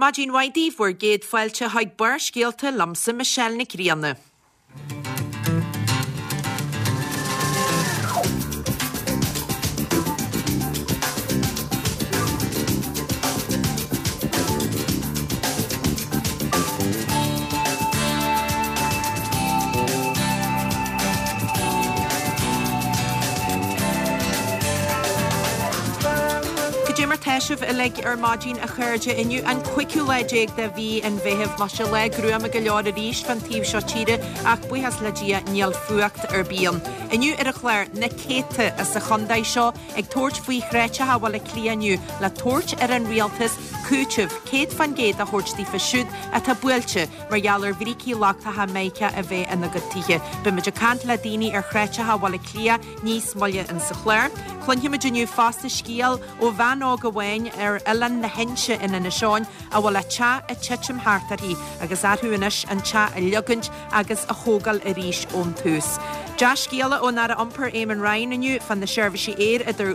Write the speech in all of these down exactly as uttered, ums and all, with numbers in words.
Maidin mhaith daoibh bhur gcéad fáilte chuig Barrscéalta liomsa Michelle Nic Grianna. Cad é mar tá sibh uilig ar maidin a chairde inniu an cúigiú lá déag de mhí an Mheithimh Tá sé lá gruama go leor arís fan taobh seo tíre ach buíochas le Dia níl fuacht ar bith ann. Inniu ar an chlár na céadta as an chontae seo ag tabhairt faoi shráideacha Bhaile Átha Cliath inniu le tabhairt ar an rialtas cúiteamh céad faoin gcéad a thabhairt daofa siúd atá buailte mar gheall ar bhrící lochtacha mica a bheith ina gcuid tithe. Beimid ag caint le daoine ar shráideacha Bhaile Átha Cliath níos moille insa chlár. Cluinfimid inniu fosta scéal ó bhean óg amháin ar oileán na hInse in Inis Eoghain a bhfuil a teach ag titim thart uirthi agus orthu anois an teach a ligean agus a thógáil arís ón tús. Dea-scéala ón Aire Iompair Eamon Ryan inniu fan na seirbhísí aeir idir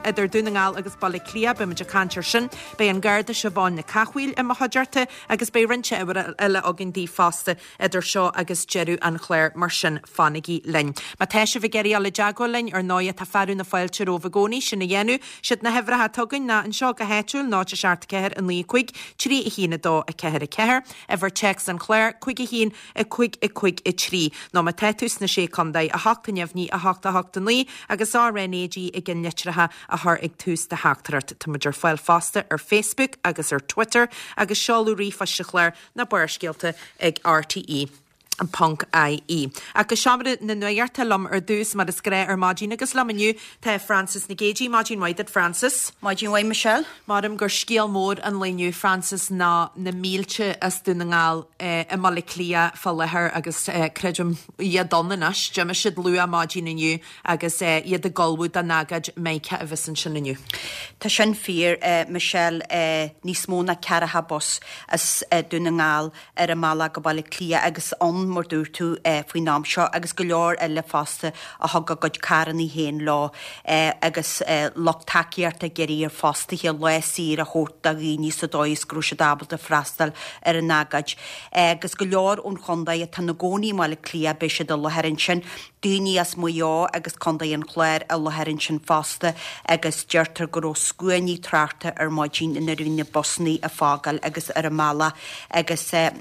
idir Dún na nGall agus Baile Átha Cliath beimid ag caint air sin, Beidh an Garda Siobhán Nic Cathmhaoil i mo chuideachta agus beidh roinnt ábhar eile againn daoibh fosta idir seo agus deireadh an chláir mar sin fanaigí linn. Má tá sibh ag iarraidh dul i dteagmháil linn ar ndóigh tá fearadh na fáilte romhaibh i gcónaí sin a dhéanamh, Siad na huimhreacha atá againn ná anseo go háitiúil náid a seacht ceathair a naoi cúig trí a haon a dó a ceathair a ceathair, uimhir téacs an chláir cúig a haon a cúig a cúig a trí. Nó má tá tú sna sé chontae a hocht a neamhní a hocht a hocht a naoi agus RNAG i gceannlitreacha a chur ag tús do theachtaireacht. Táimid ar fáil fosta ar Facebook agus ar Twitter agus seoladh ríomhphoist an chláir ná Barrscéalta ag RTE. Ponc IE. Ach go seomra na nuachta liom ar dtús mar is gnách ar maidin agus liom inniu tá Francis Nic Géadaigh maidin mhaith duit Francis. Maidin mhaith Michelle. Maram gur scéal mór an lae inniu Francis ná na mílte as Dún na nGall eh, i mBaile Átha Cliath fá láthair agus eh, creidim iad ann anois, d'imigh siad luath maidin inniu agus eh, iad ag ullmhú don agóid mica a bheas ansin inniu. Tá sin fíor eh, Michelle eh, níos mó ná ceathracha bus as eh, Dún na nGall ar a mbealach go Baile Átha Cliath agus ann mar dúirt tú eh, faoin am seo agus go leor eile fosta a thug a gcuid carranna féin leo eh, agus eh, lucht tacaíochta ag iarraidh ar fhostaithe lá saor a thabhairt do dhaoine sa dóigh is go raibh siad ábalta freastal ar an agóid. Eh, agus go leor ón chontae atá ina gcónaí i mBaile Átha Cliath beidh siad i láthair ansin, daoine as Maigh Eo agus Contae an Chláir i láthair ansin fosta agus deirtear go raibh scuainí tráchta ar maidin nuair a bhí na busanna ag fágáil agus ar a mbealach agus eh,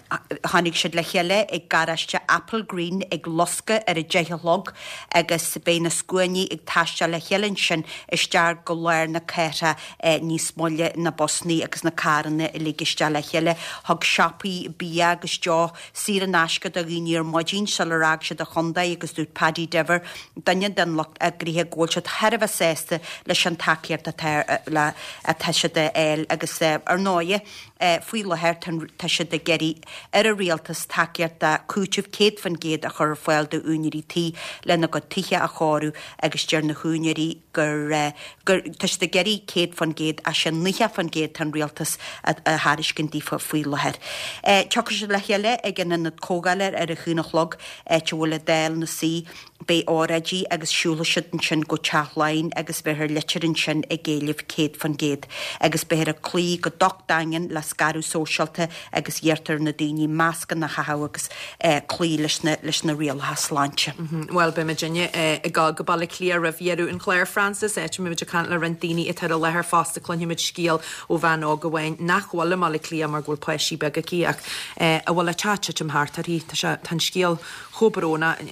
tháinig siad le chéile ag garáiste Applegreen ag Lusca ar a deich a chlog agus beidh na scuainí ag taisteal le chéile ansin isteach go lár na cathrach eh, níos moille na busanna agus na carranna uilig isteach le chéile thug siopaí bia agus deoch saor in aisce do dhaoine ar maidin sular fhág siad an chontae agus dúirt Paddy Diver duine den lucht eagraithe go bhfuil siad thar a bheith sásta leis an tacaíocht atá le atá siad a fháil agus eh, ar ndóigh eh, faoi láthair tá siad ag iarraidh ar an rialtas tacaíocht cúiteamh céad faoin gcéad a chur ar fáil d'úinéirí tí lena gcuid tithe a chóiriú agus deir na húinéirí gur eh, gur tá siad ag iarraidh céad faoin gcéad as sin nócha faoin gcéad an rialtas a thairiscint daofa faoi láthair. Eh, Tiocfaidh siad le chéile ag an ionad comhdhála ar a haon a chlog áit a bhfuil an Dáil ina suí beidh óráidí agus siúlfaidh siad ansin go Teach Laighean agus beifear litir ansin ag éileamh céad faoin gcéad agus beifear ag cloí go docht daingean le scaradh sóisialta agus iarrtar na daoine mascanna a chaitheamh agus eh, cloí leis na leis na rialacha sláinte. Well beimid inne ag go go Baile Átha Cliath roimh dheireadh an chláir Francis áit muid ag caint le roinnt daoine atá i láthair fosta cluinfimid scéal ó bhean óg amháin nach bhfuil i mBaile Átha Cliath mar go bhfuil páistí beaga aici ach a bhfuil a teach ag titim thart uirthi Tá sé tá an scéal chomh brónach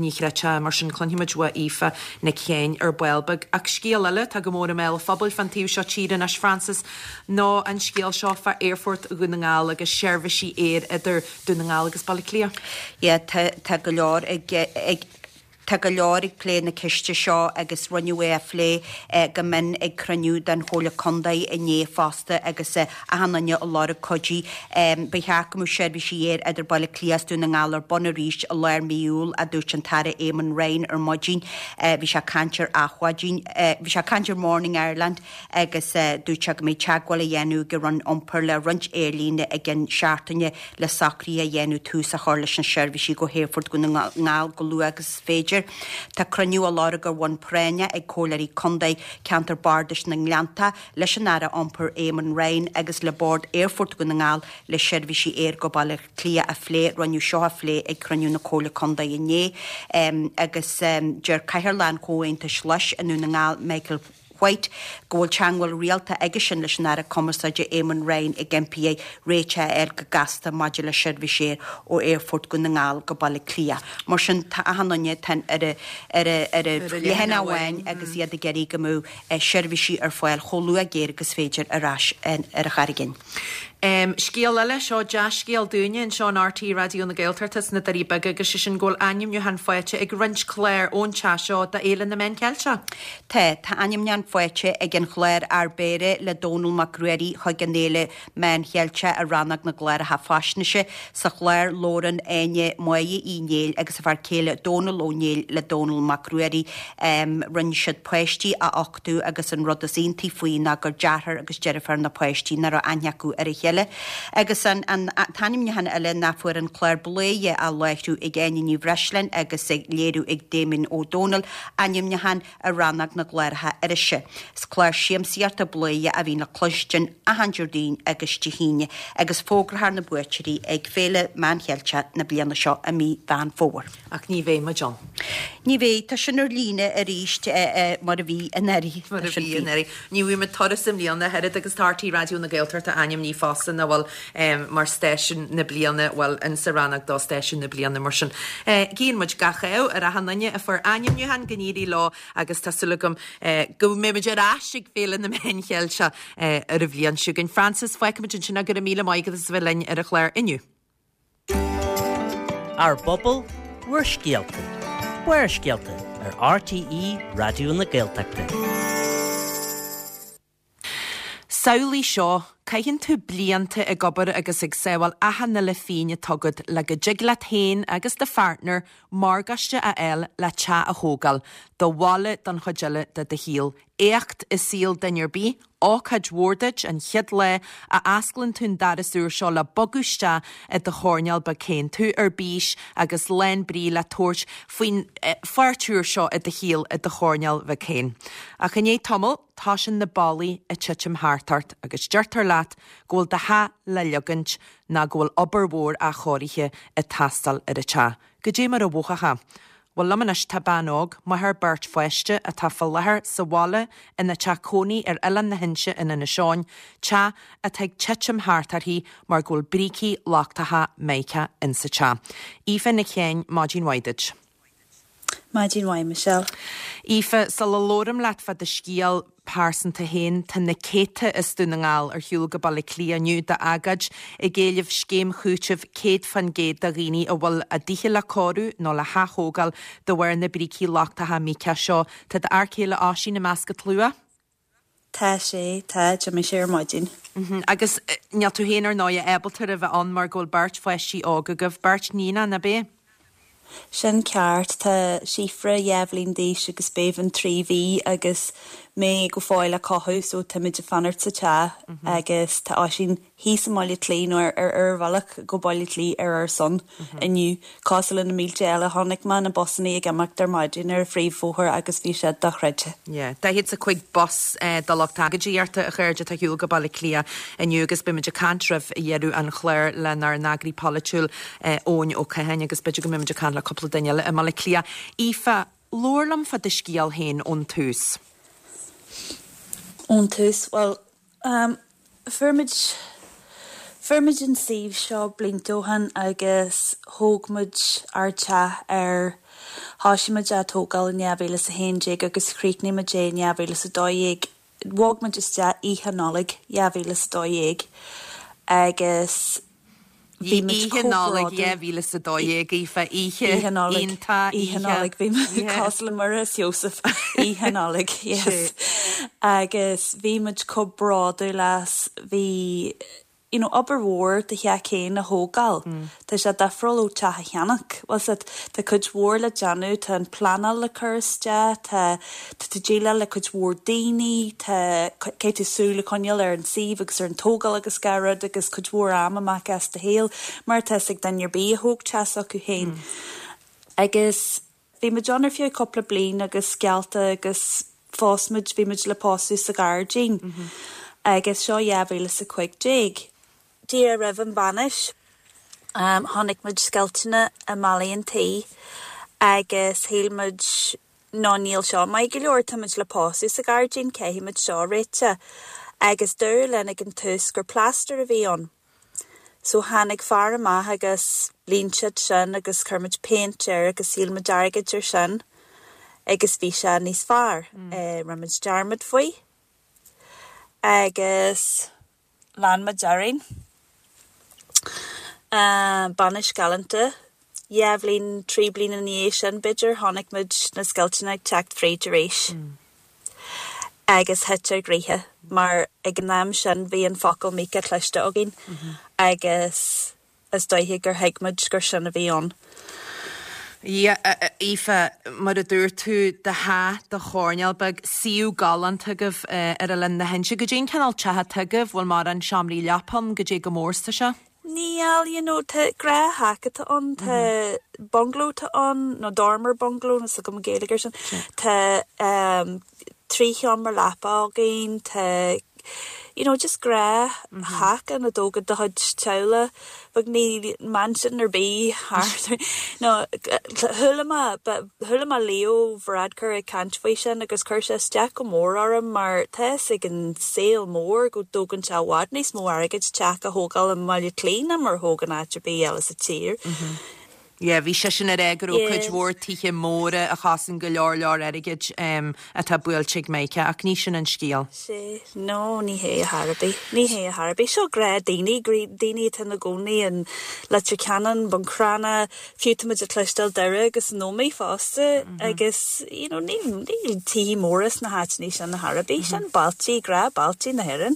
ní chreidfeá mar sin cluinfimid ó Aoife Nic Chéin ar ball beag ach scéal eile tá go mór i mbéal an phobail fan taobh seo tíre anois Francis ná an scéal seo fá Aerfort Dhún na nGall agus seirbhísí aeir idir Dún na nGall agus Baile Átha Cliath. Ja, tá tá go leor ag ag Tá go leor ag plé na ceiste seo agus rinneadh é a phlé eh, go mion ag cruinniú den Chomhairle Contae inné fosta agus eh, achan duine ag lorg cuidiú. Um, Ba cheart go mbeadh seirbhísí aeir idir Baile Átha Cliath Dún na nGall ar bun arís i lár mí Iúil a dúirt an tAire Eamon Ryan ar maidin. Uh, bhí sé ag caint ar Adhmhaidin, uh, bhí sé ag caint ar Morning Ireland agus uh, dúirt sé go mbeidh teagmháil á dhéanamh ag an Roinn Iompair le roinnt aerlíne ag an seachtaine le socruithe a dhéanamh tús a chur leis na seirbhísí go hAerfort Dhún na nGall go luath agus is féidir. féidir. Tá cruinniú á lorg ar bhonn práinne ag Comhairleoirí Contae Ceantar Bardais na nGleannta leis an Aire Iompair Eamon Ryan agus le Bord Aerfort Dhún na nGall le seirbhísí aeir go Baile Átha Cliath a phlé. Rinneadh seo a phlé ag cruinniú na Comhairle Contae inné agus deir Cathaoirleach an Chomhaontais Ghlais i nDún na nGall, Michael White, go bhfuil teagmháil rialta aigesean leis an Aire Cumarsáide Eamon Ryan ag impí air réiteach a fháil go gasta maidir le seirbhísí aeir ó Aerfort Dhún na nGall go Baile Átha Cliath. Mar sin tá achan duine tá ar a ar a ar a leathanach amháin agus iad ag iarraidh go mbeadh seirbhísí ar fáil chomh luath géar agus féidir ar ais ar an Charraig Fhinn. Scéal eile, seo dea-scéal dúinne anseo in RTÉ Raidió na Gaeltachta sna Doirí Beaga agus sé sin go bhfuil ainmniúchán faighte ag roinnt clár ón teach seo do Fhéile na Meán Ceilteach. Tá, tá ainmniúchán faighte ag an chlár Ár Bpéire le Dónall Mac Ruairí chuig an Fhéile Meán Cheilteach i rannóg na gcláracha faisnéise. Sa chlár labhrann Áine Máire Uí Néill agus a fear céile Dónall Ó Néill le Dónall Mac Ruairí. Rinne siad páistí a uchtú agus an rud is iontaí faoi ná gur deartháir agus deirfiúr na páistí nach raibh aithne acu ar a chéile. Agus an t-ainmniúchán eile ná fuair an clár Bladhaire á láithriú ag Áine Ní Bhreisleáin agus á léiriú ag Damien Ó Dónaill, ainmniúchán i rannóg na gcláracha irise. Is clár siamsaíochta Bladhaire a bhíonn le cloistin achan Déardaoin agus Dé hAoine agus fógrófar na buaiteoirí ag Féile Meán Cheilteach na bliana seo i mí Mheán Fómhair. Ach ní bheidh muid ann. Ní bheidh, tá sin ar líne arís mar a bhí anuraidh. Mar a bhí anuraidh. Ní bhfuair muid turas i mbliana ach oiread agus tá RTÉ Raidió na Gaeltachta ainmnithe fosta ná bhfuil mar stáisiún na bliana, bhuel, insa rannóg do stáisiún na bliana mar sin. Guíonn muid gach ádh ar achan duine a fuair ainmniúchán go n-éirí leo agus tá súil agam go mbeidh muid ar ais ag Féile na Meán Cheilteach ar an bhliain seo chugainn. Frances, fágfaimid ansin go raibh míle maith agat as a bheith linn ar an chlár inniu. Ár bpobal, bhur scéalta. Barrscéalta ar RTÉ Raidió na Gaeltachta. Samhlaigh seo, caitheann tú blianta ag obair agus ag sábháil achan uile phingin atá agat le go dtig leat féin agus do pháirtneir morgáiste a fháil le teach a thógáil, do bhaile don chuid eile de do shaol. Éacht i saol duine ar bith, ócáid mhór duit an chéad lá a osclaíonn tú an doras úr seo le bogadh isteach i do choirnéal beag féin, tú ar bís agus lán brí le tabhairt faoin pháirt úr seo i do shaol i do choirnéal bheag féin. Ach i ndiaidh tamaill, tosaíonn na ballaí ag titim thart ort agus deirtear leat go bhfuil do theach le ligeaint ná go bhfuil obair mhór athchóirithe ag teastáil ar an teach. Goidé mar a mhothófá. Bhuel liom anois tá bean óg, máthair beirt pháiste atá fá láthair sa bhaile ina teach cónaí ar Oileán na hInse in Inis Eoghain, teach atá ag titim thart uirthi mar go bhfuil brící lochtacha Mica insa teach. Aoife Nic Sheáin, maidin mhaith duit. Maidin mhaith, Michelle. Aoife, sula labhraim leat fá do scéal pearsanta féin, tá na céadta as Dún na nGall ar shiúl go Baile Átha Cliath inniu d'agóid ag éileamh scéim chúitimh céad faoin gcéad do dhaoine a bhfuil a dtithe le cóiriú nó le haththógáil de bharr na brící lochtacha Mica seo. Tá d'fhear céile Oisín i measc an tslua? Tá sé, tá, d'imigh sé ar maidin. Agus níl tú féin ar ndóigh ábalta a bheith ann mar go bhfuil beirt pháistí óg agaibh, beirt naíonán, ab é? Sin ceart, tá Síofra dhá bhliain d'aois agus Béibhinn trí mhí agus mé go fóill á cothú so táimid ag fanacht sa teach agus tá Oisín thíos i mBaile Átha Cliath nó ar ar a bhealach go Baile Átha Cliath ar ár son inniu. Cosúil le na mílte eile chonaic mé na busanna ag imeacht ar maidin ar an phríomhbhóthar agus bhí siad dochreidte. Yeah, daichead is a cúig bus de lucht agóidíochta a chairde atá ar shiúl go Baile Átha Cliath inniu agus beimid ag caint roimh dheireadh an chláir lenár n-eagraí polaitiúil Eoin Ó Catháin agus b'fhéidir go mbeimid ag caint le cúpla duine eile i mBaile Átha Cliath. Aoife, labhair liom fá do scéal féin ón tús. Ón tús, well, um, fuair muid fuair muid an suíomh seo blianta ó shin agus thóg muid ár teach ar thosaigh muid á tógáil in dhá mhíle is a haon déag agus chríochnaigh muid é in dhá mhíle is a dó dhéag. Bhog muid isteach oíche Nollag dhá mhíle is a dó dhéag agus bhí muid Oíche Nollag dhá mhíle is a dó dhéag, Aoife, oíche Oíche Nollag, iontach, Oíche oíche Nollag, bhí muid yeah. cosúil le Muire is Iósaf, Oíche Nollag, yes. Agus bhí muid chomh bródúil as, bhí you know, obair mhór do theach féin a thógáil. Tá sé difriúil ó teach a cheannach. Bhfuil a fhios agat, tá cuid mhór le déanamh, tá an pleanáil le cur isteach, tá tá tú déileáil le cuid mhór daoine, tá caithfidh tú súil a choinneáil ar an suíomh agus ar an tógáil agus gach rud agus cuid mhór am amach as do shaol, mar atá ag duine ar bith a thóg teach s'acu féin. Agus Bhí muid ann ar feadh cúpla bliain agus geallta agus phós muid, bhí muid le pósadh sa ghairdín. Agus seo dhá mhíle is a cúig déag. Díreach roimh an bhainis, chonaic muid scoilteanna i mballaí an tí agus shíl muid no níl seo maith go leor, tá muid le pósadh sa ghairdín, caithfidh muid seo a réiteach. Agus dúradh linn ag an tús gur plaster a bhí ann. So tháinig fear amach agus líon siad sin agus chuir muid péint air agus shil muid airgead ar sin agus bhí sé níos fearr. Mm. Rinne muid dearmad faoi agus lean muid orainn. Uh, bainis galánta. Dhá bhliain trí bliana ina dhiaidh sin b'fhéidir chonaic muid na scoilteanna ag teacht fríd arís. Mm. Agus thit ár gcroíthe mar ag an am sin bhí an focal Mica cloiste againn mm -hmm. agus is dóiche gur thuig muid gur sin a bhí ann. Yeah, Aoife, mar a dúirt tú do theach do choirnéal beag suíomh galánta agaibh ar Oileán na hInse. Goidé an cineál teach atá agaibh bhfuil mórán seomraí leapa ann goidé chomh mór is atá sé? Níl you know, tá gnáth-theach atá ann tá bungalow tá ann nó dormer bungalow na go Gaeilge sin Tá um, trí sheomra leapa againn tá you know, just gnáth-theach an a dtógann do chuid teaghlach but ní mansion ar bith no chuala mé chuala mé Leo Varadkar ag caint faoi sin agus chuir sé isteach go mór orm mar tá ag an saol mór go dtógann sé i bhfad níos mó airgid teach a thógáil i mBaile Átha Cliath ná mar thógann áit ar bith eile sa tír. Mm -hmm. Yeah, bhí sé sin ar é go raibh cuid mhór tithe móra a chosain go leor leor airgid um, atá buailte ag Mica ach ní sin an scéal. Sé no ní hé a Harbí ní hé a Harbí seo grá daoine daoine atá ina gcónaí in Leitir Ceanainn Buncrana fiú muid ag cloisteáil Doire agus nómaí fosta mm -hmm. agus you know, níl níl tithe móra sna háiteanna sin na Harbí mm -hmm. sin bailtí grá bailtí na hÉireann.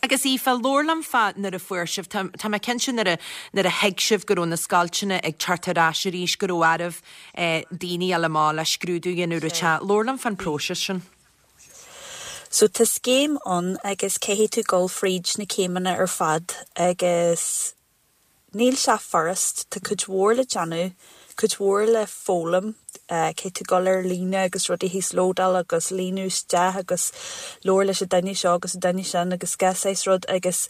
Agus Aoife labhair liom fá nuair a fuair sibh Tá mé cinnte nuair a nuair a thuig sibh go raibh na scoilteanna ag teacht ar ais arís go raibh oraibh eh, daoine eile má le scrúdú dhéanamh te labhair liom fán próiseas sin. So tá scéim ann agus caithfidh tú dul fríd na céimeanna ar fad agus níl sé furast tá cuid mhór le déanamh, cuid mhór le foghlaim, uh, caithfidh tú dul ar líne agus rudaí híoslódáil agus líonadh isteach agus labhair leis an duine seo agus an duine sin agus gach rud agus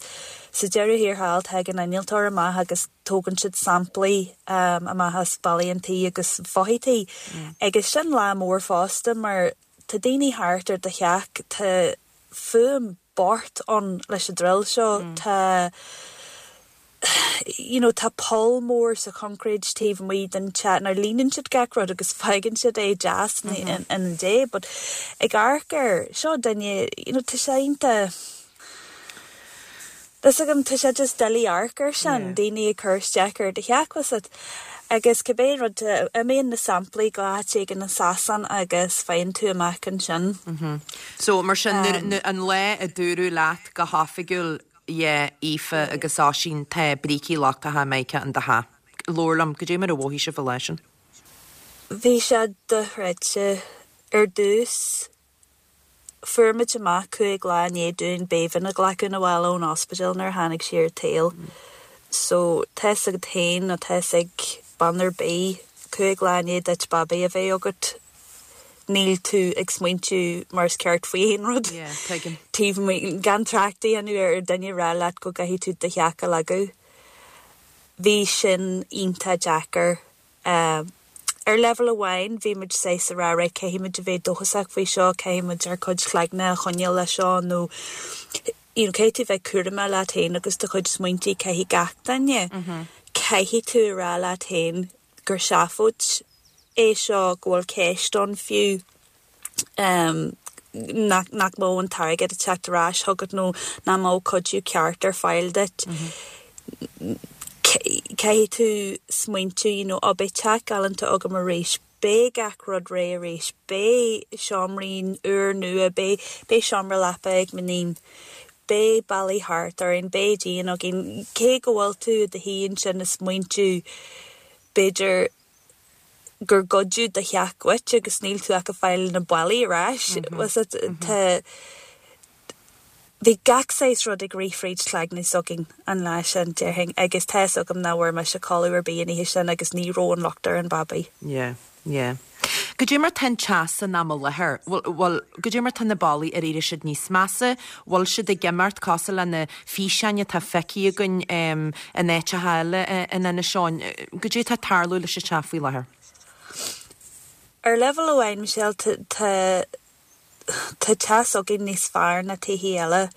sa deireadh thiar thall tagann innealtóir amach agus tógann siad samplaí um, amach as ballaí an tí agus fothaí tí. Mm. Agus sin lá mór fosta mar tá daoine thart ar do theach tá fuaim bocht ann leis an drill seo mm. tá you know, tá poll mór sa concrete taobh amuigh den teach nar líonann siad gach rud agus fágann siad é deas mm -hmm. in, in an dé, but ag amharc air seo duine you know, tá sé iontach Is agam tá sé just doiligh amharc air sin daoine ag cur isteach ar do theach agus cibé rud imíonn na samplaí go háit éigin i Sasana agus faigheann tú amach ansin. Mm -hmm. So mar sin um, an lá a dúradh leat go hoifigiúil yeah, Aoife agus Oisín tá brící lochtacha mica in do theach. Labhair liom goidé mar a mhothaigh sibh leis sin. Bhí sé dochreidte ar dtús fuair muid amach cúig lá i ndiaidh dúinn Béibhinn a ghlacadh abhaile ón ospidéal nuair a tháinig sí ar an tsaol. So tá agat féin nó tá ag bean ar bith cúig lá i ndiaidh duit babaí a bheith agat níl tú ag smaointiú mar is ceart faoi aon rud. Taobh gan trácht a dhéanamh ar duine rá leat go gcaithfidh tú do theach a leagadh. Bhí sin iontach deacair. Uh, ar level amháin bhí muid sé sa rá caithfidh muid a bheith dóchasach faoi seo caithfidh muid ár gcuid cloigne a choinneáil le seo nó you know, caithfidh tú bheith cúramach leat féin agus do chuid smaointe caithfidh gach duine. Mm -hmm. Caithfidh tú rá leat féin gur seafóid é seo go bhfuil ceist ann fiú um, nach, nach mbeadh an t-airgead ag teacht ar ais chugat nó nach mbeadh cuidiú ceart ar fáil duit. Mm -hmm. Caithfidh tú smaointiú you know, beidh teach galánta agam arís, Beidh gach rud réidh arís, beidh seomraí úr nua, beidh beidh seomra leapa ag m'iníon. Beidh ballaí thart orainn, beidh díon againn cé go bhfuil tú i do shuí ansin ag smaointiú b'fhéidir gur goideadh do theach uait agus níl tú ach ag fáil na ballaí ar ais mm -hmm. tá Bhí gach saghas rud ag rith fríd chloigne s'againn an lá sin déarfainn agus tá agam nach bhfuair mise codladh ar bith an oíche sin agus ní raibh an locht ar an babaí. Yeah, yeah. Goidé mar tá an teas san am i láthair, bhfuil, goidé mar tá na ballaí ar éirigh siad níos measa, bhfuil siad ag imeacht cosúil le na físeáin atá feicthe againn in áiteacha eile in Inis Eoghain, goidé tá ag tarlú leis an teach faoi láthair? Ar leibhéal amháin, Michelle, tá tá teach s'againn níos fearr ná tithe eile.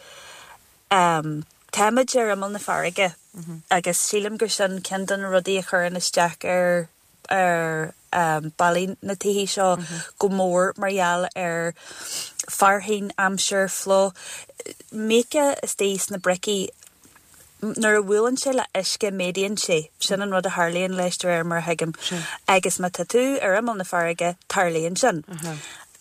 Táimid ar imeall na farraige agus sílim gur sin ceann de na rudaí a chuireann isteach ar ar ballaí na tithe seo go mór mar gheall ar fearthainn, aimsir, fliuch, míoca istigh sna bricí. Nuair a bhuaileann sé le uisce méadaíonn sé, sin an rud a tharlaíonn leis de réir mar a thuigim. Agus má tá tú ar imeall na farraige, tarlaíonn sin.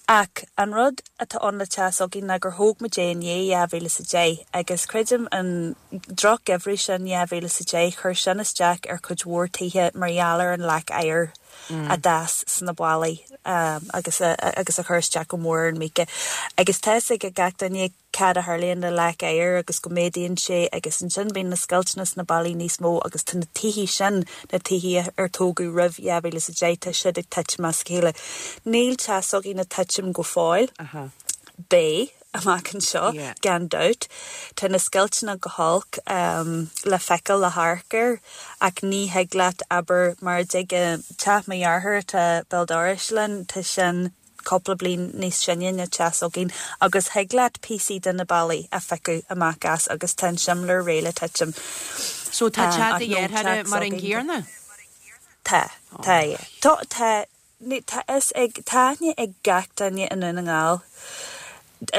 Ach an rud atá ann le teach s'againn ná gur thóg muid é i ndiaidh dhá mhíle is a deich agus creidim an drochgheimhreadh sin dhá mhíle is a deich chuir sin isteach ar chuid mhór tithe mar gheall ar an leac oighir a d'fhás sna ballaí agus agus a chuir isteach go mór ar an míoca. Agus tá fhios ag gach duine cad a tharlaíonn le leac oighir agus go méadaíonn sé agus ansin bíonn na scoilteanna sna ballaí níos mó agus tá na tithe sin, na tithe ar tógadh roimh dhá mhíle is a deich, tá siad ag titim as a chéile. Níl teach s'againn ag titim go fóill. Beidh amach anseo, gan dabht. Tá na scoilteanna go holc le feiceáil le hamharc air ach ní thig leat, abair, mar a dtig teach mo dheartháir atá béal dorais linn, tá sin cúpla bliain níos sine ná teach s'againn agus thig leat píosaí de na ballaí a phiocadh amach as agus tá an simléar réidh le titim. So tá teach do dhearthára mar an gcéanna? Tá, tá, yeah. Tá, tá, tá fhios ag, tá aithne ag gach duine i nDún na nGall.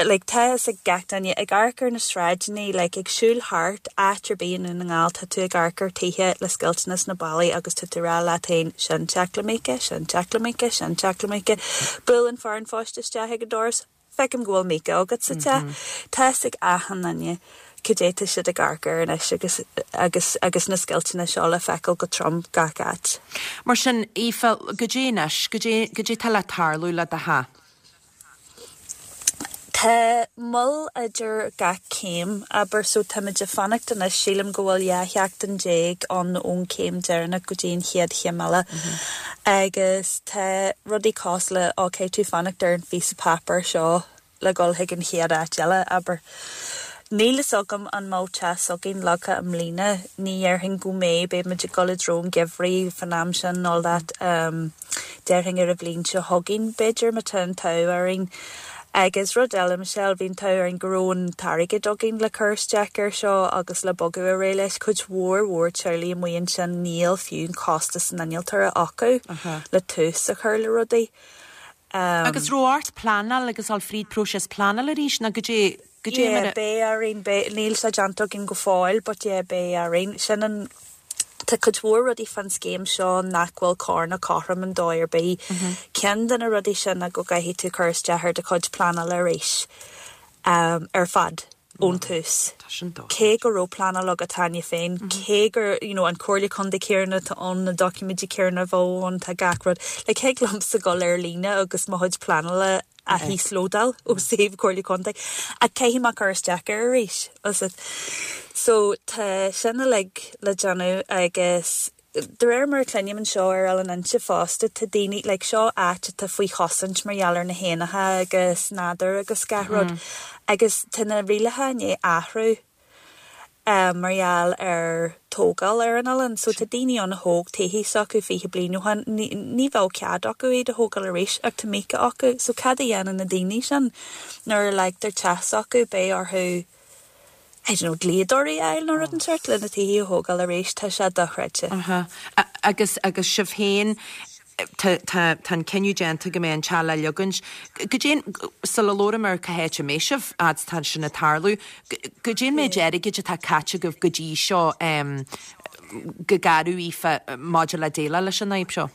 Like tá fhios ag gach duine ag amharc ar na sráideanna, like ag siúl thart áit ar bith i nDún na nGall tá tú ag amharc ar tithe le scoilteanna sna ballaí agus tá tú ag rá leat féin sin teach le míoca, sin teach le míoca, sin teach le míoca. Buaileann fear an phoist isteach ag an doras, feicim go bhfuil míoca agat sa teach. Tá fhios ag achan duine cad é tá siad ag amharc air anois agus agus agus na scoilteanna seo le feiceáil go trom gach áit. Mar sin, Aoife, goidé anois, goidé, goidé tá le tarlú le do theach? Tá moill idir gach céim, abair, so táimid ag fanacht anois, sílim go bhfuil dhá sheachtain déag ann ón chéim deireanach go dtí an chéad chéim eile. Agus tá rudaí cosúil le, ó caithfidh tú fanacht ar an phíosa páipéir seo le dhul chuig an chéad áit eile, abair. Níl fhios agam an mbeadh teach s'againn leagtha i mbliana, ní dhéarfainn go mbeidh, beidh muid ag dul i dtreo an gheimhridh fan am sin all that. Déarfainn ar an bhliain seo chugainn b'fhéidir má tá an t-ádh orainn. Agus rud eile, Michelle, bhí an t-ádh orainn go raibh an t-airgead againn le cur isteach air seo agus le bogadh ar aghaidh leis. Cuid mhór mhór teaghlaigh amuigh ansin níl fiú an costas an innealtóra acu le tús a chur le rudaí. Agus raibh ort pleanáil agus dul fríd próiseas pleanála arís nó goidé goidé mar a. Yeah, beidh orainn, beidh, níl sé déanta againn go fóill but yeah, beidh orainn. Sin an, tá cuid mhór rudaí fán scéim seo nach bhfuil cóir ná cothrom an dóigh ar bith. Ceann de na rudaí sin ná go gcaithfidh tú cur isteach ar do chuid pleanála arís ar fad ón tús. Tá sin dochreidte. Cé go raibh pleanáil agat cheana féin, cé gur, you know, an Comhairle Contae céanna atá ann, na doiciméidí céanna a bheadh ann, tá gach rud. Like, thig liomsa dul ar líne agus mo chuid pleanála a híoslódáil ó suíomh Comhairle Contae ach caithfidh mé cur isteach air arís. So tá sin uilig le déanamh agus de réir mar a chluinim anseo ar Oileán Inse fosta, tá daoine, like seo áit atá faoi chosaint mar gheall ar na héanacha agus nádúr agus gach rud agus tá na rialacha i ndiaidh athrú mar gheall ar tógáil ar an oileán. So tá daoine ann a thóg tithe s'acu fiche bliain ó shin, ní, ní bheadh cead acu iad a thógáil arís ach tá míoca acu. So cad a dhéanann na daoine sin nuair a leagtar teach s'acu, beidh orthu I don't know, dlíodóirí a fháil nó rud den sórt le na tithe a thógáil arís, tá sé dochreidte. Aha. Agus, agus sibh féin, tá, tá, tá an cinneadh déanta go mbeidh an teach le leagaint. Goidé, sula labhraím ar cá háit a mbeidh sibh, fhad is tá sin ag tarlú, goidé an méid airgid atá caite agaibh go dtí seo go garbh, Aoife, maidir le déileáil leis an fhadhb seo?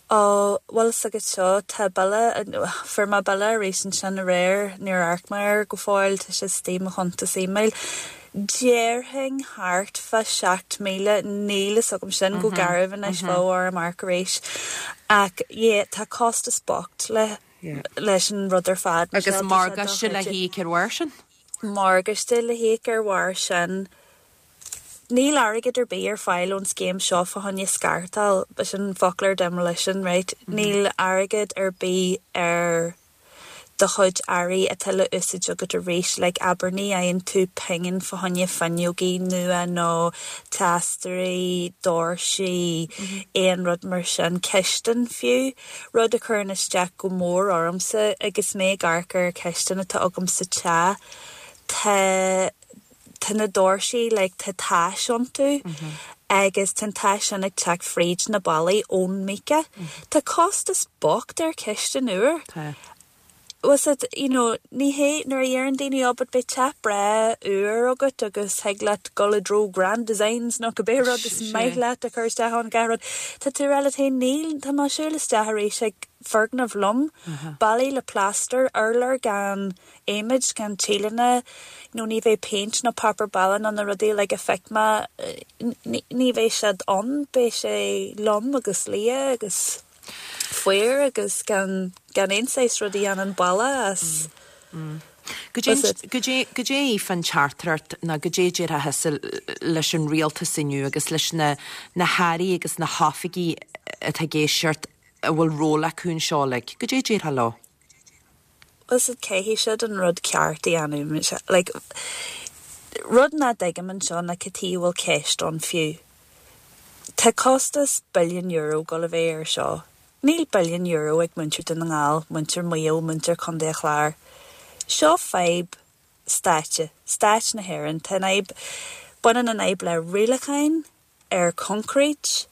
Ó, bhfuil fhios agat seo, tá bille, fuair mé bille arís ansin aréir, níor amharc mé air go fóill, tá sé istigh i mo chuntas email. Déarfainn thart fá seacht míle, níl fhios agam sin go garbh anois, bheadh orm amharc arís. Ach yeah, tá costas bocht le, leis an rud ar fad. Agus morgáiste le híoc ar bharr sin? Morgáiste le híoc ar bharr sin. Níl airgead ar bith ar fáil ón scéim seo fá choinne scartáil, sin foclóir demolition, right? Níl airgead ar bith ar do chuid earraí atá le úsáid agat arís, like abair ní fhaigheann tú pingin fá choinne fuinneogaí nua nó teastóirí, doirsí, aon rud mar sin, cistin fiú, rud a chuireann isteach go mór ormsa agus mé ag amharc ar cistin atá agam sa teach. Tá tá na doirsí like tá tais iontu agus tá an tais sin ag teacht fríd na ballaí ón mica. Tá costas bocht ar cistin úr. Tá. Was it, you know, ní hé nuair a deireann daoine oh but beidh teach breá úr agat agus thig leat dul i dtreo Grand Designs nó cibé rud is maith leat a chur isteach ann gach rud. Tá tú rá leat féin níl tá mé ag siúl isteach arís ag foirgneamh lom, ballaí le plaster, urlár gan adhmaid gan tíleanna, nó ní bheidh péint nó páipéar balla nó na rudaí like a feic mé ní bheidh siad ann, beidh sé lom agus liath agus fuar agus gan gan aon saghas rudaí an an balla as. Goidé goidé fan teachtaireacht ná goidé déarfá thusa leis an rialtas inniu agus leis na na hairí agus na hoifigigh atá ag éisteacht a bhfuil ról acu anseo like, goidé déarfá leo? Was it caithfidh siad an rud ceart a dhéanamh like, rud nach dtuigim anseo ná cad chuige a bhfuil ceist ann fiú. Tá costas billion euro go le bheith ar seo. Níl billion euro ag muintir Dhún na nGall, muintir Mhaigh Eo, muintir Chontae an Chláir. Seo fadhb stáit, stáit na hÉireann, Tá an fhadhb baineann an fhadhb le rialacháin ar concrete,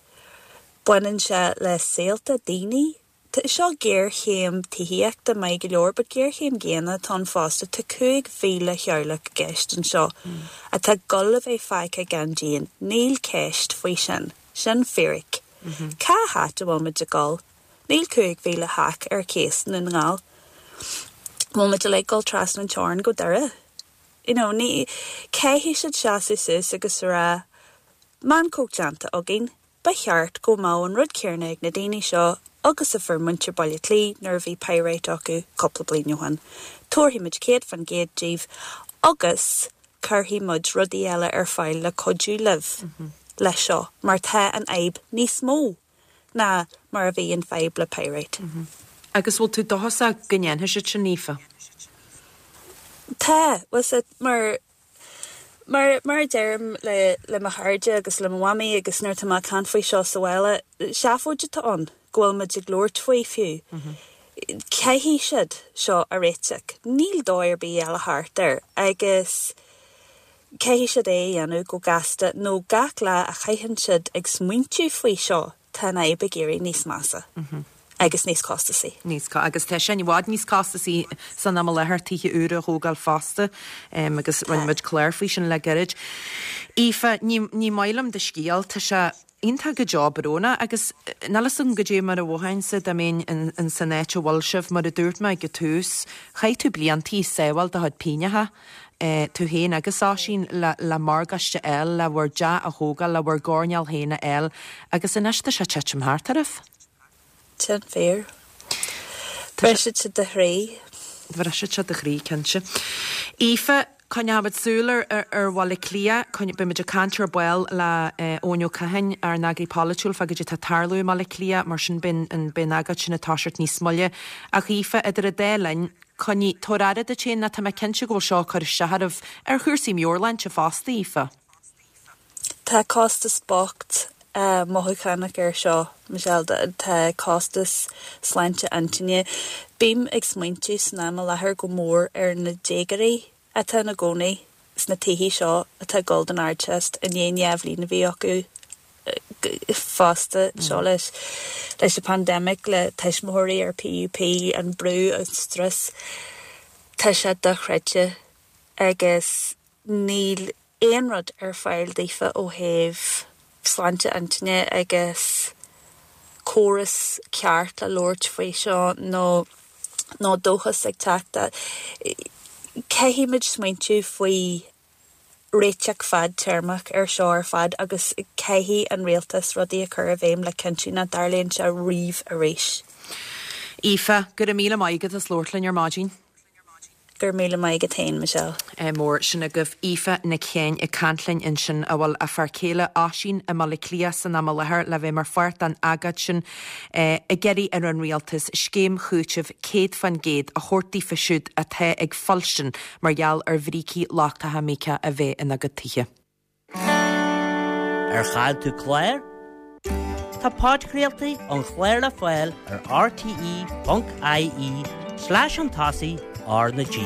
baineann sé le saolta daoine. Tá seo géarchéim tithíochta maith go leor, but géarchéim dhaonna atá ann fosta tá cúig mhíle teaghlach i gceist anseo atá ag dul a bheith fágtha gan díon. Níl ceist faoi sin. Sin fíric. Cá háit a bhfuil muid ag dul? Níl cúig mhíle teach ar cíos i nDún na nGall. Bhfuil muid ag dul trasna an teorainn go Doire. You know, ní caithfidh siad seasamh suas agus rá meancóg déanta againn, ba cheart go mbeadh an rud céanna ag na daoine seo agus a fuair muintir Baile Átha Cliath nuair a bhí pyrite acu cúpla bliain ó shin. Tabharfaidh muid céad faoin gcéad díobh agus cuirfidh muid rudaí eile ar fáil le cuidiú libh leis seo, mar tá an fhadhb níos mó ná mar a bhí an fhadhb le pyrite. Agus bhfuil tú dóchasach go ndéanfaidh siad sin Aoife? Tá, was it mar mar mar a deirim le le mo chairde agus le mo mhamaí agus nuair atá mé ag caint faoi seo sa bhaile, seafóid atá ann go bhfuil muid ag labhairt faoi fiú. Caithfidh siad seo a réiteach. Níl dóigh ar bith eile thart air agus caithfidh siad é a dhéanamh go gasta nó gach lá a chaitheann siad ag smaointiú faoi seo tá an fhadhb ag éirí níos measa. agus níos costasaí. Níos agus tá sin i bhfad níos costasaí san am i láthair tithe úra a thógáil fosta um, agus rinne muid clár faoi sin le gairid. Aoife, ní, ní maith liom do scéal, tá sé iontach go deo brónach agus níl a fhios agam goidé mar a mhothóinnse dá mbeinn in, in san áit a bhfuil sibh mar a dúirt mé ag an tús, chaith tú bliantaí ag sábháil do chuid pingneacha. Eh, tú féin agus Oisín le, le morgáiste a fháil le bhur dteach a thógáil le bhur gcoirnéal féin a fháil agus anois tá sé ag titim thart oraibh. Sin fíor. Briseann sé do chroí. Briseann sé do chroí cinnte. Aoife, coinneoimid súil ar ar, ar Bhaile Átha Cliath, beimid ag caint ar ball le eh, Eoin Ó Cadhain ár n-eagraí polaitiúil fá goidé atá ag tarlú i mBaile Átha Cliath, mar sin beidh an beidh an agóid sin ag toiseacht níos moille. Ach Aoife, idir an dá linn, coinnigh tabhair aire duit féin ná tá mé cinnte go bhfuil seo ag cur isteach oraibh ar chúrsaí meabhairshláinte fosta Aoife. Tá costas bocht uh, mothúchánach ar seo, Michelle, tá costas sláinte intinne. Bím ag smaointiú san am i láthair go mór ar na déagóirí atá ina gcónaí sna tithe seo atá ag dul don Ardteist i ndiaidh dhá bhliain a bhí acu fosta seo leis leis an pandemic le tuismitheoirí ar PUP an brú an strus Tá sé dochreidte agus níl aon rud ar fáil daofa ó thaobh sláinte intinne agus córas ceart le labhairt faoi seo nó nó dóchas ag teacht. Caithfimid smaointiú faoi réiteach fadtéarmach ar seo ar fad agus caithfidh an rialtas rudaí a chur i bhfeidhm le cinntiú nach dtarlaíonn sé riamh arís. Aoife, go raibh míle maith agat as labhairt linn ar maidin. Go raibh míle maith agat féin, Michelle. Mór sin agaibh Aoife Nic Sheáin ag caint linn ansin a bhfuil a fear céile Oisín i mBaile Átha Cliath san am i láthair le bheith mar pháirt den agóid sin ag iarraidh ar an rialtas scéim chúitimh céad faoin gcéad a thabhairt daofa siúd atá ag fuilstin mar gheall ar bhrící lochtacha míoca a bheith ina gcuid tithe. Ar chaill tú clár? Tá podchraoltaí an chláir le fáil ar R T E ponc I E slash chun tosaigh R na G.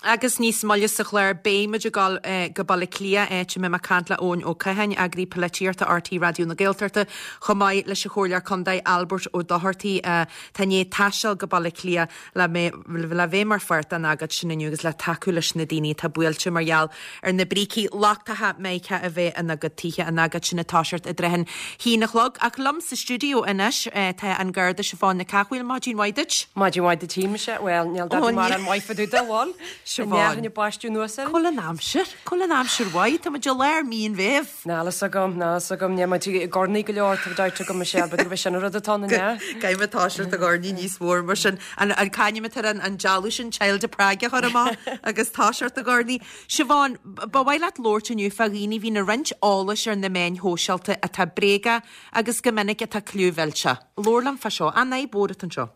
Agus níos moille sa chlár beidh muid ag dul go Baile Átha Cliath, áit a mbeidh mé ag caint le Eoin Ó Catháin, eagraí polaitíochta R T Raidió na Gaeltachta, chomh maith leis an Chomhairleoir Contae Albert Ó Dochartaigh, atá i ndiaidh taisteal go Baile Átha Cliath le le bheith mar pháirt den agóid sin inniu agus le tacú leis na daoine atá buailte mar gheall ar na brící lochtacha míoca a bheith ina gcuid tithe. An agóid sin ag toiseacht i dtrátha an haon a chlog. Ach liom sa stiúideo anois tá an Garda Siobhán Nic Cathmhaoil. Maidin mhaith duit. Maidin mhaith duit, Michelle. Well, níl dad mar an mhaith fadú bhil. Siobhán. Baisteadh anuas. Cá bhfuil an aimsir? Cá bhfuil an aimsir mhaith? Tá muid i lár mí an Mheithimh. Níl a fhios agam, níl a fhios agam, ní muid i gcornaí go leor tá daite go Michelle, b'fhéidir go sin rud atá na ne. Caithfidh toiseacht ag oirní níos mhór mar sin an an cainim ar an an dealú sin Child of Prague a chur amach agus toiseacht ag oirní. Siobhán, ba mhaith leat labhairt inniu fá dhaoine bhíonn ag roinnt eolais ar na meáin shóisialta atá bréagach agus go minic atá clúmhillte. Labhair liom fá seo, an fhadhb mhór atá anseo.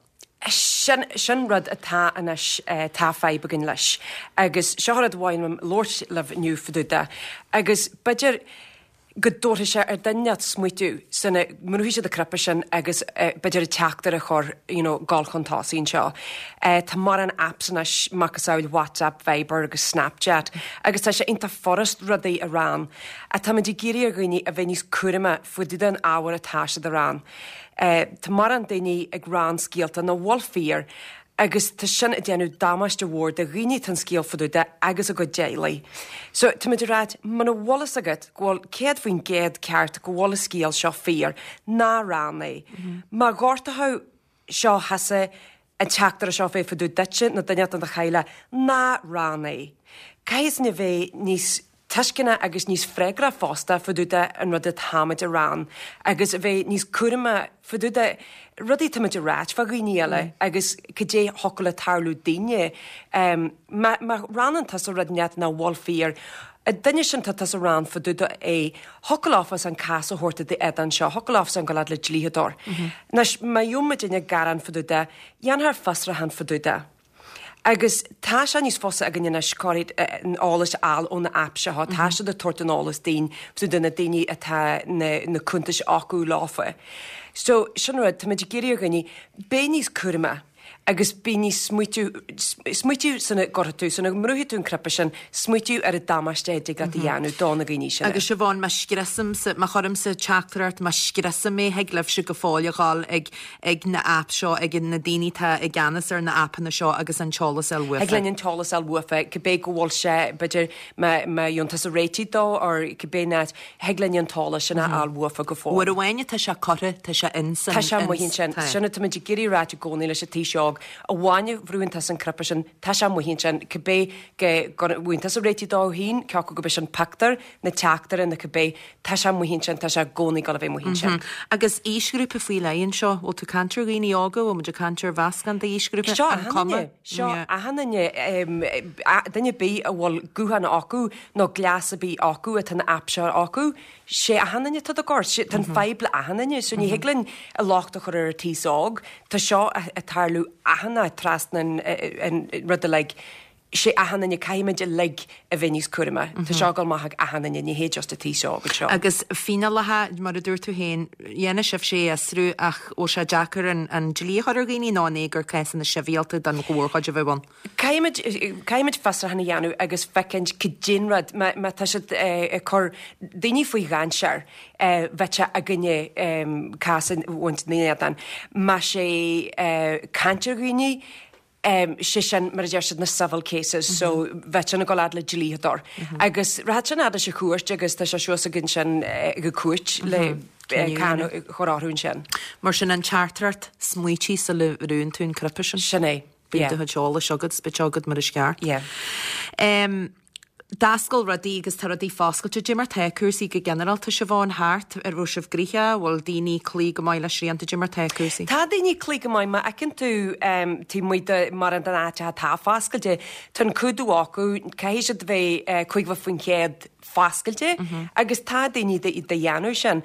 Sin sin rud atá anois tá fadhb againn leis. Agus seo rud amháin labhairt libh inniu fá dtaobh de. Agus b'fhéidir go dtabharfaidh sé ar duine smaoitiú sula mbrúfaidh siad an cnaipe sin agus b'fhéidir an teachtaireacht a chur you know, gul chun tosaigh anseo. Uh, tá mórán apps anois macasamhail WhatsApp, Viber agus Snapchat, agus tá sé iontach furast rudaí a rá. Tá muid ag iarraidh ar dhaoine a bheith níos cúramaí fá dtaobh den ábhar atá siad a rá. Uh, tá mórán daoine ag rá scéalta nach bhfuil fíor, agus tá sin ag déanamh damáiste mhór do dhaoine tá an scéal fá dtaobh de agus a gcuid teaghlaigh. So tá muid ag rá muna bhfuil fhios agat go bhfuil céad faoin gcéad ceart go bhfuil an scéal seo fíor ná roinn é. Mm -hmm. Má ghortathú seo thusa an teachtaireacht seo bheith fá dtaobh duitse nó duine den do theaghlach ná roinn é. Caithfidh na bheith níos tuisceana agus níos freagra fosta fá dtaobh de an rud atáimid a rá agus a bheith níos cúramaí fá dtaobh de rudaí táimid a ráit fá dhaoine eile mm. agus cad é thiocfadh le tarlú daoine um, má, má roinneann tusa rud net nach bhfuil fíor. A duine sin tá tusa ag rá fá dtaobh de é thiocfadh leofa an cás a thabhairt i d'éadan seo, thiocfadh leofa an go le dlíodóir. Mm -hmm. Anois má gheobhaidh duine gearán fá dtaobh de, dhéanfar fiosrúchán fá dtaobh de. Agus tá sé níos fusa againn anois cuid an eolais a fháil ó na app seo, tá siad ag tabhairt an eolas dúinn do na daoine atá na, na cuntais acu leofa. So sin rud tá muid ag iarraidh ar dhaoine bheith níos cúramaí agus bí níos smaoitiú smaoitiú sula gcuirfidh tú sula mbrúfaidh tú an cnaipe sin smaoitiú ar an damáiste a dtig leat a dhéanamh do na daoine sin. Agus Siobhán, má scriosaimse má chuirimse teachtaireacht má scriosaim é thig libhse go fóill a ghabháil ag ag na app seo ag na daoine tá i gceannas ar na appanna seo agus an t-eolas a fháil uafa. Thig linn an t-eolas a fháil uafa cibé go bhfuil sé b'fhéidir má má dhéanann tusa réitigh dó or cibé net thig linn an t-eolas sin a fháil uafa go fóill. Uair amháin tá sé curtha tá sé in Tá sé amuigh ansin sin tá muid ag iarraidh a ráit i gcónaí leis an t-aos óg amháin bhrúann tusa an cnaipe sin tá sé amuigh ansin cibé go bhfuil tusa réitigh dó féin ceacu go be sin pictiúr na teachtaire na cibé tá sé amuigh ansin tá sé i gcónaí go bheith amuigh ansin. Agus aoisghrúpa faoi leith anseo bhfuil tú caint ar dhaoine óga bhfuil muid ag caint ar mheascán d'aoisghrúpa Seo cuma seo achan duine duine ar bith a bhfuil guthán acu nó gléas ar bith acu atá na app seo acu, sé achan duine tá gort tá an fadhb le achan duine, so ní thig linn an locht a chur ar an t-aos óg, Tá seo ag tarlú achan áit trasna an rud uilig. sé achan duine caithfimid uilig a bheith níos cúramaí. Tá seo ag dul amach ag achan duine ní hé just an t-aos óg seo. Agus fíneálacha mar a dúirt tú féin dhéana sibh sé fiosrú ach bhfuil sé deacair an, an dlí a chur ar dhaoine nó an é gur cásanna sibhialta don mhórchuid a bheith ann. Caithfimid caithfimid fiosrúchán a dhéanamh agus féachaint cad é an rud má tá siad ag cur daoine faoi dhainséar bheith againne cás bhaint na Má sé caint ar dhaoine, um, sé sin mar a deir siad na civil cases, mm -hmm. so bheith sin ag dul le dlíodóir. Mm -hmm. Agus rachaidh sin leis an chúirt agus tá sé suas againn sin go cúirt mm -hmm. le cáin chur orthu sin. Mar sin an teachtaireacht smaointigh sula mbrúnn tú an cnaipe sin. Sin é. Bíonn do chuid eolais agat spit agat mar is ceart. Yeah. Um, D'oscail rudaí agus tá rudaí foscailte. Dé mar tá cúrsaí go ginearálta, Siobhán, thart, ar raibh sibh gnoitheach, bhfuil daoine cloí go maith le srianta, dé mar tá cúrsaí? Tá daoine cloí go maith, má fheiceann tú taobh amuigh de mórán den áit atá foscailte, tá an cumhdach acu, caithfidh siad bheith caoga faoin chéad foscailte agus tá daoine de dhéanamh sin.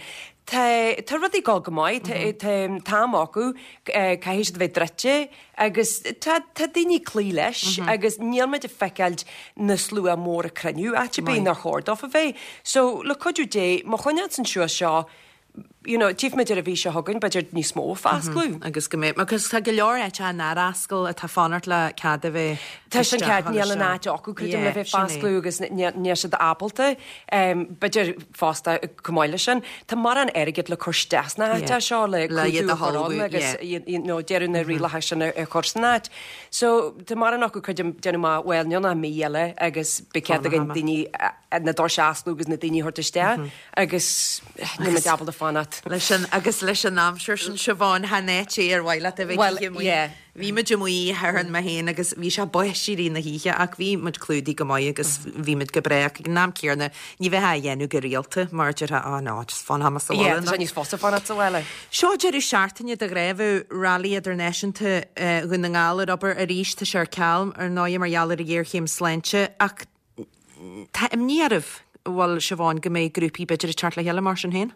Tá tá rudaí ag dul go maith, tá tá an t-am acu, caithfidh siad a bheith druidte agus tá tá daoine ag cloí leis agus níl muid ag feiceáilt na slua mór ag cruinniú áit ar bith nár chóir dófa bheith. So le cuidiú Dé, má choinneáil san suas seo, you know, tchífimid ar an mhí seo chugainn, b'fhéidir níos mó ag foscladh. Agus go mbeidh, agus tá go leor áiteacha nár oscail atá ag fanacht le cead a bheith Tá sin ceart, níl an áit acu, creidim, le bheith foscladh agus níl siad ábalta, b'fhéidir fosta chomh maith leis sin, tá mórán airgid le cur isteach sna háiteacha seo le Le iad cumhdach a a chur ann tholghadh, agus you know, deireadh na rialacha sin a chur san áit. So tá mórán acu, creidim, déanamh amach, bhuel, níl ach mí eile agus beidh cead againn daoine na doirse a osclú agus na daoine a thabhairt isteach agus níl muid ábalta fanacht. Leis an, agus leis an aimsir sin, Siobhán, chan áit é ar mhaith leat a bheith Well, oíche amuigh. yeah. Bhí muid amuigh thar mé féin agus bhí sé báistí i rith na hoíche ach bhí muid clúdaithe go maith agus bhí muid go breá ach ag an am céanna ní bheifeá á dhéanamh go rialta mar déarfá oh no, just fanfaidh mé sa Yeah, bhaile tá sé níos fusa fanacht sa bhaile. Seo deireadh seachtaine de ghnáth Rally Idirnáisiúnta eh, Dhún na nGall ar obair arís tá sé ar ceal ar ndóigh mar gheall ar an ghéarchéim sláinte ach tá imní oraibh bhfuil Siobhán go mbeidh grúpaí b'fhéidir ag teacht le chéile mar sin féin?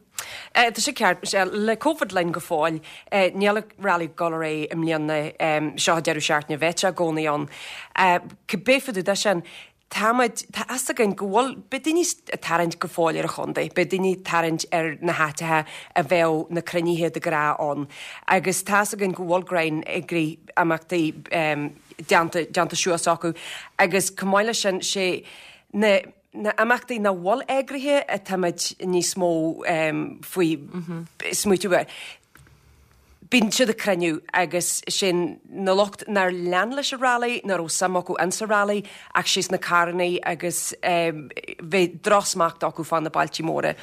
Eh, Tá sé ceart, Michelle, le Covid linn go fóill, eh, níl an rally ag dul ar aghaidh i mbliana um, seo deireadh seachtaine bheidh sé i gcónaí ann. Eh, Cibé fá dtaobh de sin, Táimid, tá fhios againn go bhfuil, beidh daoine ag tarraingt go fóill ar an chontae, beidh daoine ag tarraingt ar na háiteacha a bheadh na cruinnithe de ghnáth ann agus tá fhios againn go bhfuil greim ag rith imeachtaí um, déanta, déanta suas acu agus chomh maith leis sin sé na na imeachtaí nach bhfuil eagraithe atáimid níos mó um, faoi smaoitiú air. Bíonn siad ag cruinniú agus sin na lucht nár lean leis an rally, nach raibh suim acu insa rally ach sé sna carrannaí agus um, bheith drochsmacht acu fá na bailtí móra.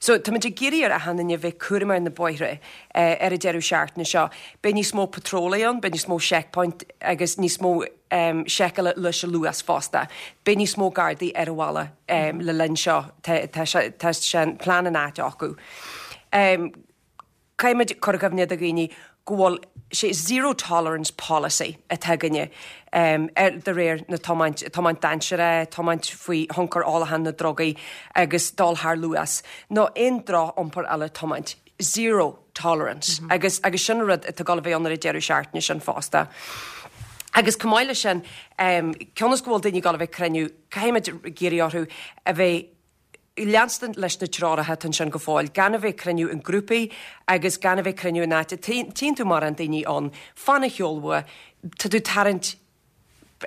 So táimid ag iarraidh ar achan duine bheith cúramach ar na bóithre uh, ar an deireadh seachtaine seo. Beidh níos mó patrólaí ann, beidh níos mó checkpoint agus níos mó um, seiceála leis an luas fosta. Beidh níos mó gardaí ar an bhaile um, le linn seo tá tá sé tá sé an plean in áit acu. Um, Caithfimid cur i gcuimhne do dhaoine go bhfuil sé zero tolerance policy atá againne um, ar de réir na tiomáint tiomáint dainséarach, tiomáint faoi thionchar ólacháin na drugaí agus dul thar luas, nó aon droch-iompar eile tiomáint. Zero tolerance. Mm -hmm. agus, agus sin rud atá ag dul a bheith ann ar an deireadh seachtaine sin fosta. Agus chomh maith leis sin, um, cionn is go bhfuil daoine ag dul a bheith cruinniú, caithfimid iarraidh orthu a bheith leanstan leis na treoracha ansin go fóill, gan a bheith cruinniú in grúpaí agus gan a bheith cruinniú in áit. Tchíonn tú mar an daoine ann, fan a sheolbha, tá tú tarraingt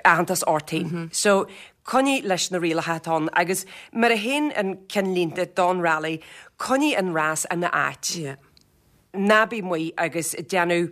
aitheantas ort féin. Mm -hmm. So coinnigh leis na rialacha atá ann agus mar a théann an ceannlínte don rally, coinnigh an rás ina áit. Yeah. Ná bí amuigh agus déanamh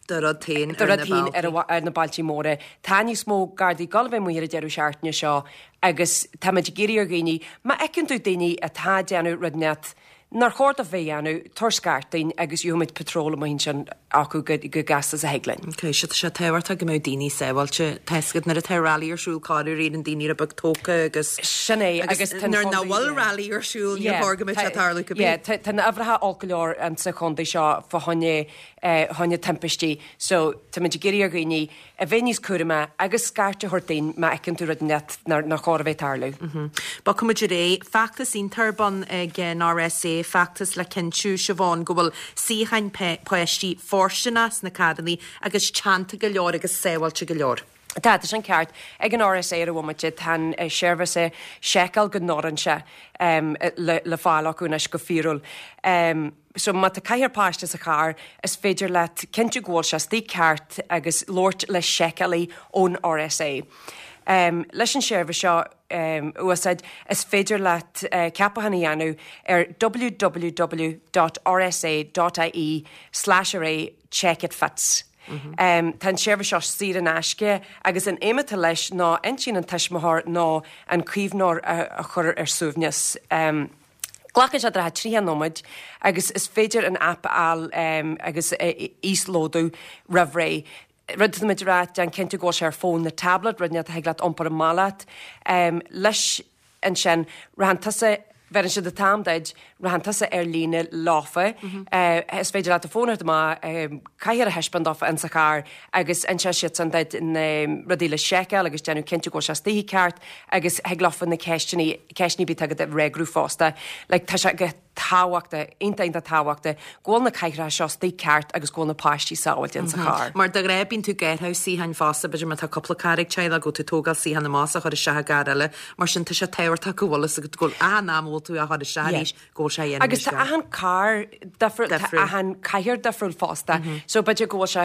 Do rud féin do ar rud na féin ar, bealtaí. ar na bailtí móra. Tá níos mó gardaí ag dul a bheith amuigh ar an deireadh seachtaine seo agus táimid ag iarraidh ar dhaoine, má fheiceann tú daoine atá ag déanamh rud net nár chóir dóibh bheith ag déanamh, tabhair scairt dúinn agus gheobhaimid patról amuigh ansin acu go, go gasta is a thig linn. Ok, sé sé tábhachtach go mbeadh daoine sábháilte tá a fhios agat nuair atá rally ar siúl corruair éiríonn daoine rud beag tógtha agus Sin é agus agus tá an nuair nach chontae- bhfuil yeah. rally ar siúl ní chóir go mbeadh sé tarlú go Yeah, bí. tá tá na uimhreacha olc go leor an sa chontae seo fá choinne eh, choinne timpistí, so táimid ag iarraidh ar dhaoine a bheith níos cúramaí agus scairt a thabhairt dúinn má fheiceann tú rud net nár nár chóir a bheith tarlú. Bogfaimid ar aghaidh feachtas iontach ar bun ag an RSA feachtas le cinntiú Siobhán go bhfuil suíocháin páistí fóirsteanach sna carrannaí agus teannta go leor agus sábháilte go leor. Tá tá sin ceart ag an RSA ar an bhomaite tá an eh, seirbhís seiceáil go n-oireann sé um, le, le fáil acu anois go fíorúil. Um, so má tá ceathrar páiste sa charr is féidir leat cinntiú go bhfuil sé istigh ceart agus labhairt le seiceálaí ón RSA. Um, leis an seirbhís seo um, úsáid is féidir leat uh, ceapachán a dhéanamh ar www.rsa.ie slash array check it fits. Mm -hmm. um, tá an seirbhís seo saor in aisce agus an aidhm atá leis ná intinn an tuismitheoir nó an caomhnóir a, a chur ar suaimhneas. Um, Glacann sé daichead trí nóiméad agus is féidir an app a fháil um, agus uh, íoslódú roimh ré. Rud muid rá déan cinnte go bhfuil sé ar fón nó tablet, rud net a leat iompar amach leat. Um, leis ansin rachann tusa bheireann siad an t-am duit, rachann tusa ar líne leofa, is féidir leat do fón a thabhairt amach, cathaoir a thaispeáint dófa insa charr agus inseoidh siadsan duit na rudaí le seiceáil agus déanamh cinnte go bhfuil sé istigh i gceart agus thig leofa na ceisteanna, ceisteanna ar bith atá agat a fhreagrú fosta. Like tá sé go tábhachtach, iontach iontach tábhachtach go bhfuil na cathaoireacha seo istigh ceart agus go bhfuil na páistí sábháilte insa charr. Mar de ghnáth bíonn tú ag athrú suíocháin fosta, b'fhéidir má tá cúpla carr ag teaghlach go bhfuil tú ag tógáil suíochán amach is á chur isteach i gcarr eile, mar sin tá sé tábhachtach go bhfuil fhios agat go bhfuil achan am a bhfuil tú á chur isteach arís go bhfuil sé á dhéanamh Agus tá achan carr difriúil, tá achan cathaoir difriúil fosta. So b'fhéidir go bhfuil sé,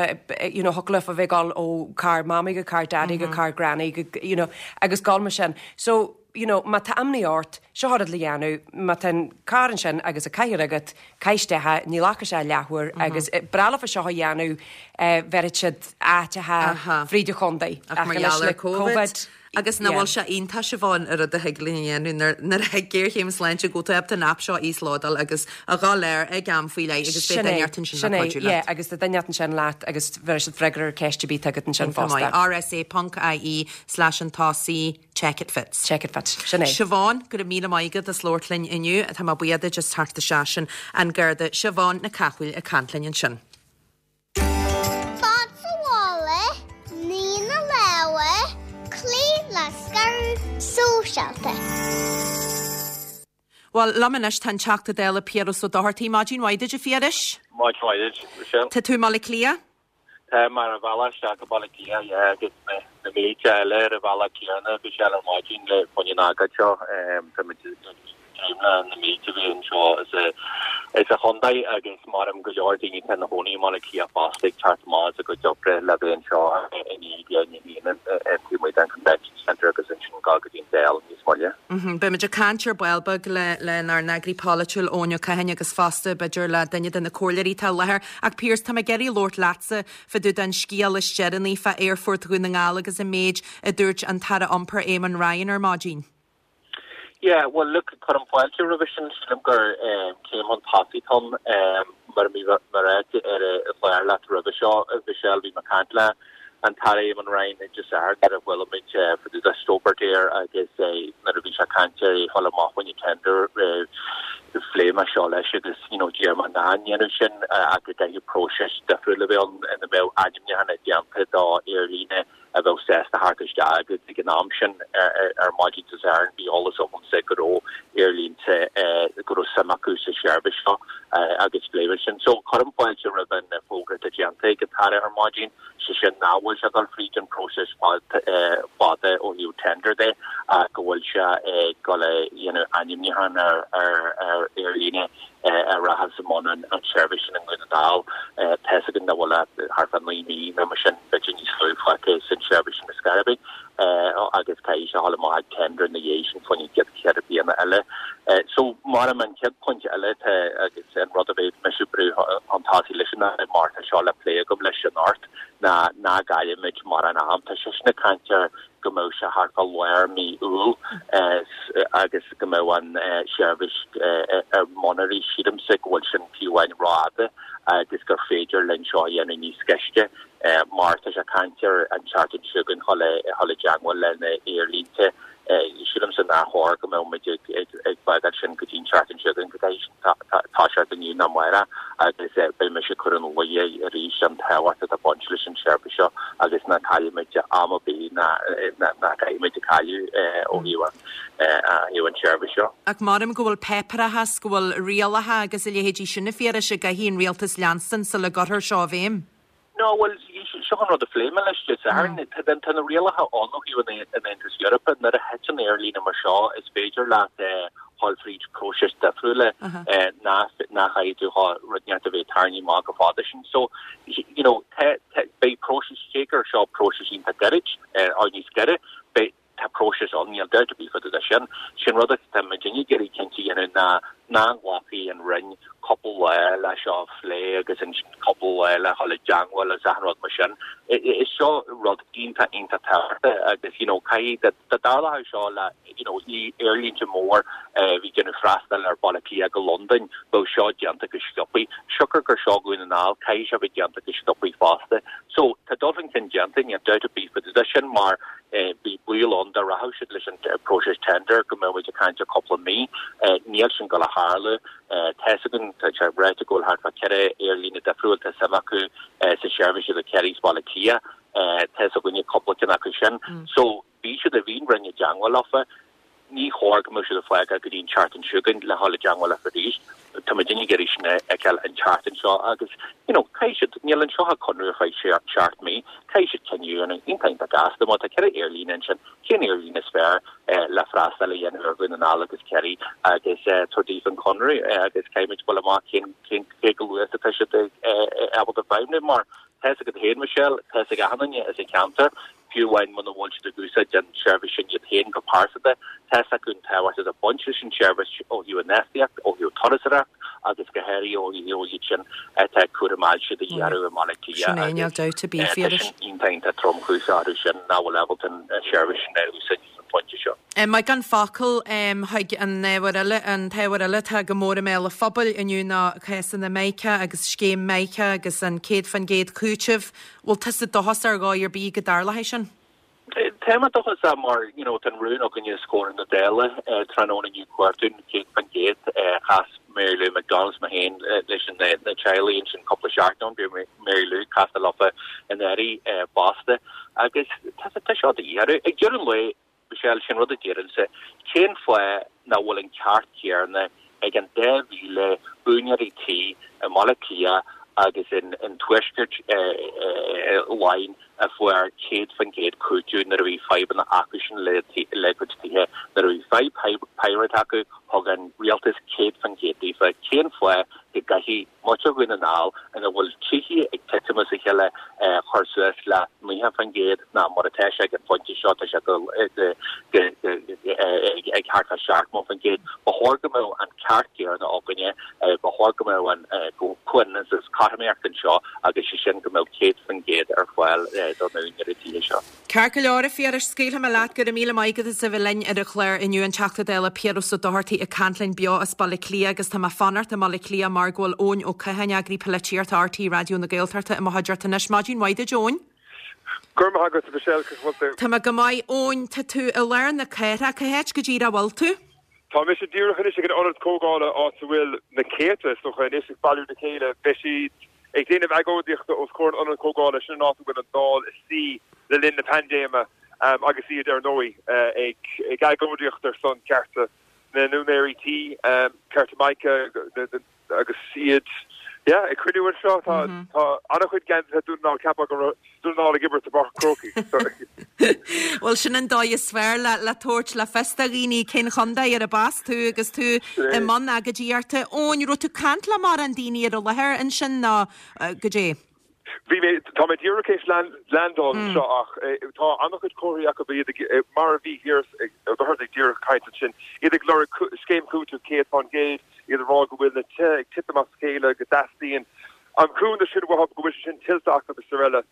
you know, thiocfadh leofa bheith ag dul ó carr mamaí go carr daddy go carr granny go, you know, agus dul mar sin. So, you know, má tá imní ort, seo an rud le dhéanamh, má tá an carr ansin agus an cathaoir agat, caith isteach é, ní ghlacfaidh sé leathuair agus breá leofa seo a dhéanamh, bheirfeadh siad áiteacha fríd an chontae. Ach mar gheall ar Covid. Agus nach bhfuil sé iontach Siobhán an rud a thig linn a dhéanamh nuair nuair a thig géarchéim sláinte go bhfuil tú ábalta an aip seo a íoslódáil agus a dhul air ag am faoi leith agus beidh duine ort ansin le cuidiú leat. agus tá duine ansin leat agus bheir siad freagra ar ceist ar bith agat ansin fosta. RSA ponc IE slash an tosaí check it fits. Check it fits. Sin é. Siobhán, go raibh míle maith agat as labhairt linn inniu, tá mé buíoch duit as teacht isteach sin an Garda Siobhán Nic Cathmhaoil ag caint linn ansin. Fad sa bhaile, ní na lámha, cloí le scaradh sóisialta. Bhuel, liom anois tá an Teachta Dála Piaras Ó Dochartaigh. Maidin mhaith duit, a Phiarais? Maidin mhaith duit, Michelle. Tá tú i mBaile Átha Cliath? Tá mé ar an bhealach isteach go Baile Átha Cliath, yeah, agus na na mílte eile ar an bhealach céanna, Michelle, ar maidin le fá choinne an ócáid seo. Tá muid ag dréim le na mílte a bhí anseo is sa chontae agus maram go leor daoine atá ina gcónaí i mBaile Átha Cliath fosta ag teacht amach as a gcuid oibre le bheith anseo i ndiaidh a haon taobh amuigh den Convention Centre agus ansin dul go dtí an Dáil níos moille. Beidh muid ag caint ar ball beag le lenár n-eagraí polaitiúil Eoin Ó Catháin agus fosta b'fhéidir le duine de na comhairleoirí atá i láthair. Ach Piaras, tá mé ag iarraidh labhairt leatsa fá dtaobh den scéal is deireanaí fá Aerfort Dhún na nGall agus an méid a dúirt an tAire Iompair Eamon Ryan ar maidin. Yeah, well look, cuirim fáilte roimhe sin, sílim gur céim chun tosaigh atá ann mar a bhí mé ag ráit ar an chlár leat roimhe seo, Michelle, bhí mé ag caint le an tAire Eamon Ryan Dé Sathairn nuair a bhuail muid fá dtaobh de Stobart Air agus nuair a bhí sé ag caint ar é dhul amach fá choinne tender phléigh mé seo leis agus you know d'iarr mé nach ndéanfadh sin ach go gcaithfeadh próiseas difriúil a bheith ann ina mbeadh ainmniúchán déanta do aerlíne a bheadh sásta theacht isteach agus ag an am sin ar maidin Dé Sathairn bhí eolas agamsa go raibh aerlínte go raibh suim acu sa tseirbhís seo agus phléigh mé sin. So cuirim fáilte roimh an fógra atá déanta ag an tAire ar maidin, sé sin nach bhfuil sé ag dul fríd an próiseas fada ó thaobh tender de ach go bhfuil sé ag dul a dhéanamh ainmniúchán ar ar aerlíne a rachas i mbun an tseirbhís sin i nDún na nGall. Tá fhios againn nach bhfuil ach thart fá naoi mí nó mar sin, b'fhéidir níos lú fágtha san tseirbhís sin ar scor ar bith agus caithfidh sé dhul amach ag tender ina dhiaidh sin fá choinne chéad ceithre bliana eile. So mar an chéad phointe eile tá agus an rud a bheidh mise ag brú chun tosaigh leis an mar tá seo le plé agam leis anocht ná ná gcaillfimid mórán am. Tá seisean ag caint ar go mbeadh sé thart fá lár mí Iúil agus go mbeadh an seirbhís ar bun arís. Sílimse go bhfuil sin fiú amháin rófhada agus gur féidir linn seo a dhéanamh níos gaiste mar tá sé ag caint ar an tseachtain seo chugainn dhul i dteagmháil le na aerlínte. Sílimse nár chóir go mbeadh muid ag fágáil sin go dtí an tseachtain seo chugainn, go gcaithfidh toiseacht inniu nó amárach agus beidh mise ag cur ina luí arís an tábhacht atá ag baint leis an tseirbhís seo agus ná caillfimid am ar bith ná caithfimid a chailleadh ó thaobh an tseirbhís seo. Ach maram go bhfuil páipéarachas, go bhfuil rialacha agus a leithéidí sin a Phiarais a gcaithfidh an rialtas leanstan sula gcuirfear seo i bhfeidhm. No, bhuel, seo an rud a phléigh mé leis Dé Sathairn. Tá tá na rialacha ann ó thaobh an an Aontais Eorpaigh. Nuair a thiteann aerlíne mar seo, is féidir leat dhul fríd próiseas difriúla ná ná chaithfidh tú rud inteacht a bheith tarraingthe amach go fada sin. So, you know, beidh próiseas, cé gur seo próiseas iontach gairid, or níos gaire, beidh tá próiseas ann, níl dabht ar bith fá dtaobh de sin. Sin rud atá muid ag iarraidh cinnte a dhéanamh ná ná nglacfaidh an Roinn cúpla lá le seo a phlé agus ansin cúpla lá le dhul i dteagmháil agus achan rud mar sin. Is seo rud iontach iontach tábhachtach agus you know caithfidh dá dtarlódh seo le you know aerlínte mór a bhí ag déanamh freastal ar Bhaile Átha Cliath go Londain, bheadh seo déanta go sciobthaí. Siocair gur seo Dhún na nGall, caithfidh sé bheith déanta go sciobthaí fosta. So tá dul chun cinn déanta, níl dabht ar bith fá dtaobh de sin mar Bhí baol ann dá rachadh siad leis an próiseas tender go mbeadh muid ag caint ar cúpla mí. Níl sin ag dul a tharlú. Tá's againn, tá sé ráite go bhfuil thart fá ceithre aerlíne difriúil tá suim acu sa seirbhís idir Ciarraí is Baile Átha Cliath. Tá's againne cúpla ceann acu sin. So bhí siad, bhí an Roinn i dteangmháil leofa. Ní chóir go mbeadh siad ag fágáil go dtí an tseachtain seo chugainn le dhul i dteangmháil leofa arís. Tá muidinne ag iarraidh sin a fheiceáil an tseachtain seo agus you know caithfidh siad, níl anseo ach conradh ar feadh seacht mí, caithfidh siad cinneadh a dhéanamh iontach iontach gasta. Má tá ceithre aerlíne ansin, cén aerlíne is fearr le freastal a dhéanamh ar Dhún na nGall agus Ciarraí agus tabhair daofa an conradh agus caithfidh muid dul amach cén cén cé chomh luath is atá siad ábalta feidhmiú mar tá's agat féin Michelle, tá's ag achan duine as an cheantar Fiú amháin muna bhfuil siad ag úsáid an tseirbhís sin iad féin go pearsanta, tá's acu an tábhacht atá ag baint leis an tseirbhís ó thaobh infheistíocht, ó thaobh turasóireacht agus go háirithe ó thaobh iad sin atá ag cúram ailse do dhearadh i mBaile Átha Cliath Sin é, níl agus dabht ar bith, tá Phiarais. sin iontach iontach tromchúiseach orthu sin nach bhfuil ábalta an tseirbhís sin a úsáid ag an phointe seo. Maith gan focal chuig an ábhar eile, an t-ábhar eile atá go mór i mbéal an phobail inniu ná cásanna Mica agus scéim Mica agus an céad faoin gcéad cúiteamh. Bhfuil tusa dóchasach ar dhóigh ar bith go dtarlóidh sin? Tá mé dóchasach mar you know tá an rún againne os comhair na Dála tráthnóna inniu cuartú an céad faoin gcéad. Chas Mary Lou McDonald is mé féin leis na teaghlaigh ansin cúpla seachtain ó shin, bhí Mary Lou casta leofa anuraidh fosta agus tá seo de dhíth orthu. Ag deireadh an lae, Michelle, sin rud a deirimse, cén fáth nach bhfuil an ceart céanna ag an dá mhíle úinéirí tí i mBaile Átha Cliath agus in tuaisceart Laighean a fuair céad faoin gcéad cúiteamh nuair a bhí fadhbanna acusan le a gcuid tithe. Nuair a bhí fadhb pyrite acu, thug an rialtas céad faoin gcéad daofa. Cén fáth go gcaithfidh muintir Dhún na nGall, ina bhfuil tithe ag titim as a chéile, cur suas le naocha faoin gcéad ná mar atá sé ag an phointe seo, tá sé ag thart fá seachtó faoin gcéad. Ba chóir go mbeadh an ceart céanna againne, ba chóir go mbeadh an comhionannas is cothromaíocht anseo agus sé sin go mbeadh céad faoin gcéad ar fáil do na húinéirí tithe seo. Ceart go leor, a Phiarais, scaoilfidh mé leat. Go raibh míle maith agat as a bheith linn ar an chlár inniu, an Teachta Dála Piaras Ó Dochartaigh ag caint linn beo as Baile Átha Cliath agus tá mé ag fanacht i mBaile Átha Cliath mar go bhfuil Eoin Ó Catháin, Eagraí Polaitíochta RTÉ Raidió na Gaeltachta i mo chuideachta anois. Maidin mhaith duit, Eoin. Go raibh maith agat, a Mhichelle, conas a bhfuil tú? Tá mé go maith, Eoin. Tá tú i lár na cathrach. Cá háit go díreach a bhfuil tú? Tá mise díreach anois ag an ionad comhdhála áit a bhfuil na céadta, is dócha, anois ag bailiú le chéile. Beidh siad ag déanamh agóidíochta os comhair an ionad comhdhála, sin an áit a bhfuil an Dáil ag suí le linn na paindéime agus iad, ar ndóigh, ag agóidíocht ar son cearta na n-úinéirí tí, cearta Mica agus iad yeah ag cruinniú anseo. Tá tá an-chuid geansaithe Dún na nGall, cheapfá go raibh Dún na nGall ag imirt i bPáirc an Chrócaigh. Bhuel sin an dóigh is fearr le le tabhairt le fios do dhaoine cén chontae arb as tú agus tú i mbun agóidíochta. Eoin, raibh tú ag caint le mórán daoine ar an láthair ansin nó goidé? Bhí mé, tá mé díreach théis landáil anseo ach tá an-chuid comharthaí acu iad ag, mar a bhí Piaras Ó Dochartaigh díreach ag caint ansin, iad ag lorg scéim chúitimh céad fán gcéad, iad ag rá go bhfuil na tithe ag titim as a chéile, go dteastaíonn an cúnamh sin uathu, go bhfuil sé sin tuillte acu is araile.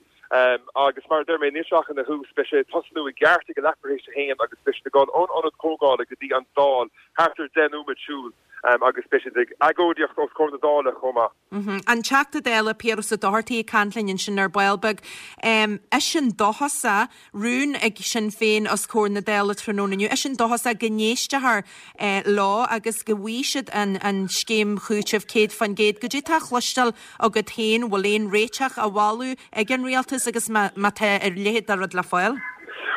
Agus mar a deir mé, níl sé ach ina thús, beidh sé ag tosnú i gceart ag a leathuair tar éis a haon agus beidh siad ag dul ón ionad comhdhála go dtí an Dáil, thart ar deich nóiméad siúil, agus beidh siad ag agóidíocht os comhair na Dála chomh maith. An Teachta Dála Piaras Ó Dochartaigh ag caint linn ansin ar ball beag. Eisean dóchasach, rún ag Sinn Féin os comhair na Dála tráthnóna inniu, eisean dóchasach go n-éistfear leo agus go bhfaighidh siad an scéim chúitimh céad faoin gcéad. Goidé tá á chloisteáil agat féin, bhfuil aon réiteach á mholadh ag an Rialtas agus má tá a leithéid de rud le fáil?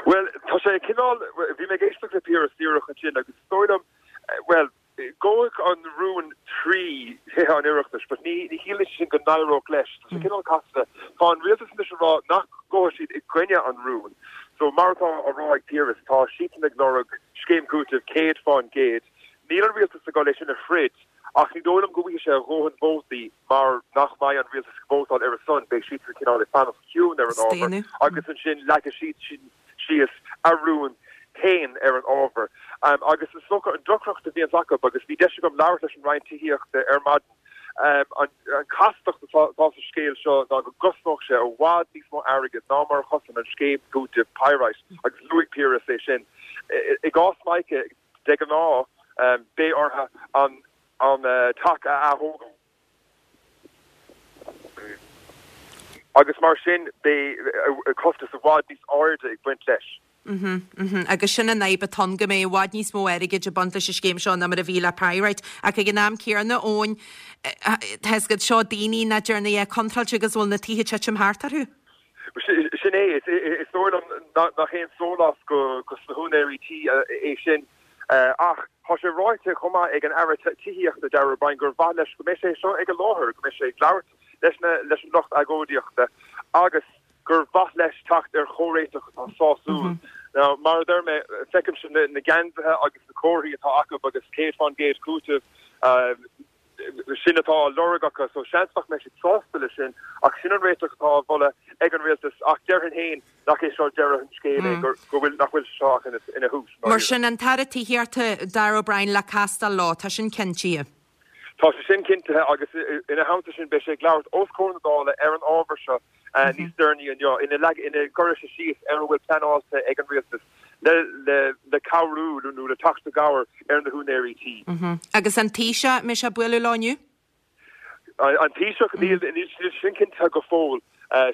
Bhuel, tá sé cineál, bhí mé ag éisteacht le Piaras díreach ansin agus is dóigh liom, bhuel, Gabhfaidh an rún trí Thithe an Oireachtais but ní ní chiallaíonn sé sin go n-éireodh leis. Tá sé cineál casta. Tá an rialtas anois ag rá nach ngabhfaidh siad i gcoinne an rúin. So mar atá á rá ag Piaras, tá siadsan ag lorg scéim cúitimh céad fán gcéad. Níl an rialtas ag dul é sin a throid ach ní dóigh liom go bhfaighidh sé a dhóthain vótaí mar nach mbeidh an rialtas ag vótáil ar a son. Beidh siadsan cineál ag fanacht ciúin ar an ábhar agus ansin leagfaidh siad sin síos a rún féin ar an ábhar. Agus is dócha an deacracht a bhíonns acu, agus bhí deis agam labhairt leis an Roinn Tithíochta ar maidin, an chastacht atá sa scéal seo ná go gcosnódh sé i bhfad níos mó airgid ná mar a chosain an scéim cúitimh Pyrite, agus luaigh Piaras é sin. I gcás Mica, de ghnáth, beidh orthu an teach a ath-thógáil. Agus mar sin beidh costas i bhfad níos airde ag baint leis. Agus sin an fhadhb atá ann, go mbeidh i bhfad níos mó airgid ag baint leis an scéim seo ná mar a bhí le Pyrite. Ach ag an am céanna, Eoin, tá fhios agat, seo daoine nach dtearna a dhath contráilte agus a bhfuil na tithe ag titim thart orthu. Sin é, is dóigh liom nach aon sólás do na húinéirí tí é sin. Ach tá sé ráite chomh maith ag an Aire Tithíochta Darragh O'Brien gur mhaith leis go mbeidh sé seo ag an láthair, go mbeidh sé ag labhairt leis na leis an lucht agóidíochta agus gur mhaith leis teacht ar chomhréiteach atá sásúil. Now, mar a deir mé, feicimse na na geansaithe agus na comharthaí atá acu agus céad fán gcéad cúiteamh, sin atá á lorg acu, so seans nach mbeidh siad sásta leis sin, ach sin an réiteach atá á mholadh ag an rialtas, ach déarfainn féin nach é seo deireadh an scéil é, go bhfuil, nach bhfuil sé seo ach ina, ina thús, Mar dáiríre. sin, an tAire Tithíochta, Darragh O'Brien le castáil leo, tá sin cinntithe. Tá sé sin cinntithe agus ina theannta sin beidh sé ag labhairt os comhair na Dála ar an ábhar seo níos deireanaí inniu, ina ina gcuirfidh sé síos ar a bhfuil pleanáilte ag an rialtas le le le cabhrú nó le teacht i gcabhair ar na húinéirí tí. Agus an Taoiseach, mbeidh sé ag bualadh leo inniu? An Taoiseach, níl níl sin cinntithe go fóill.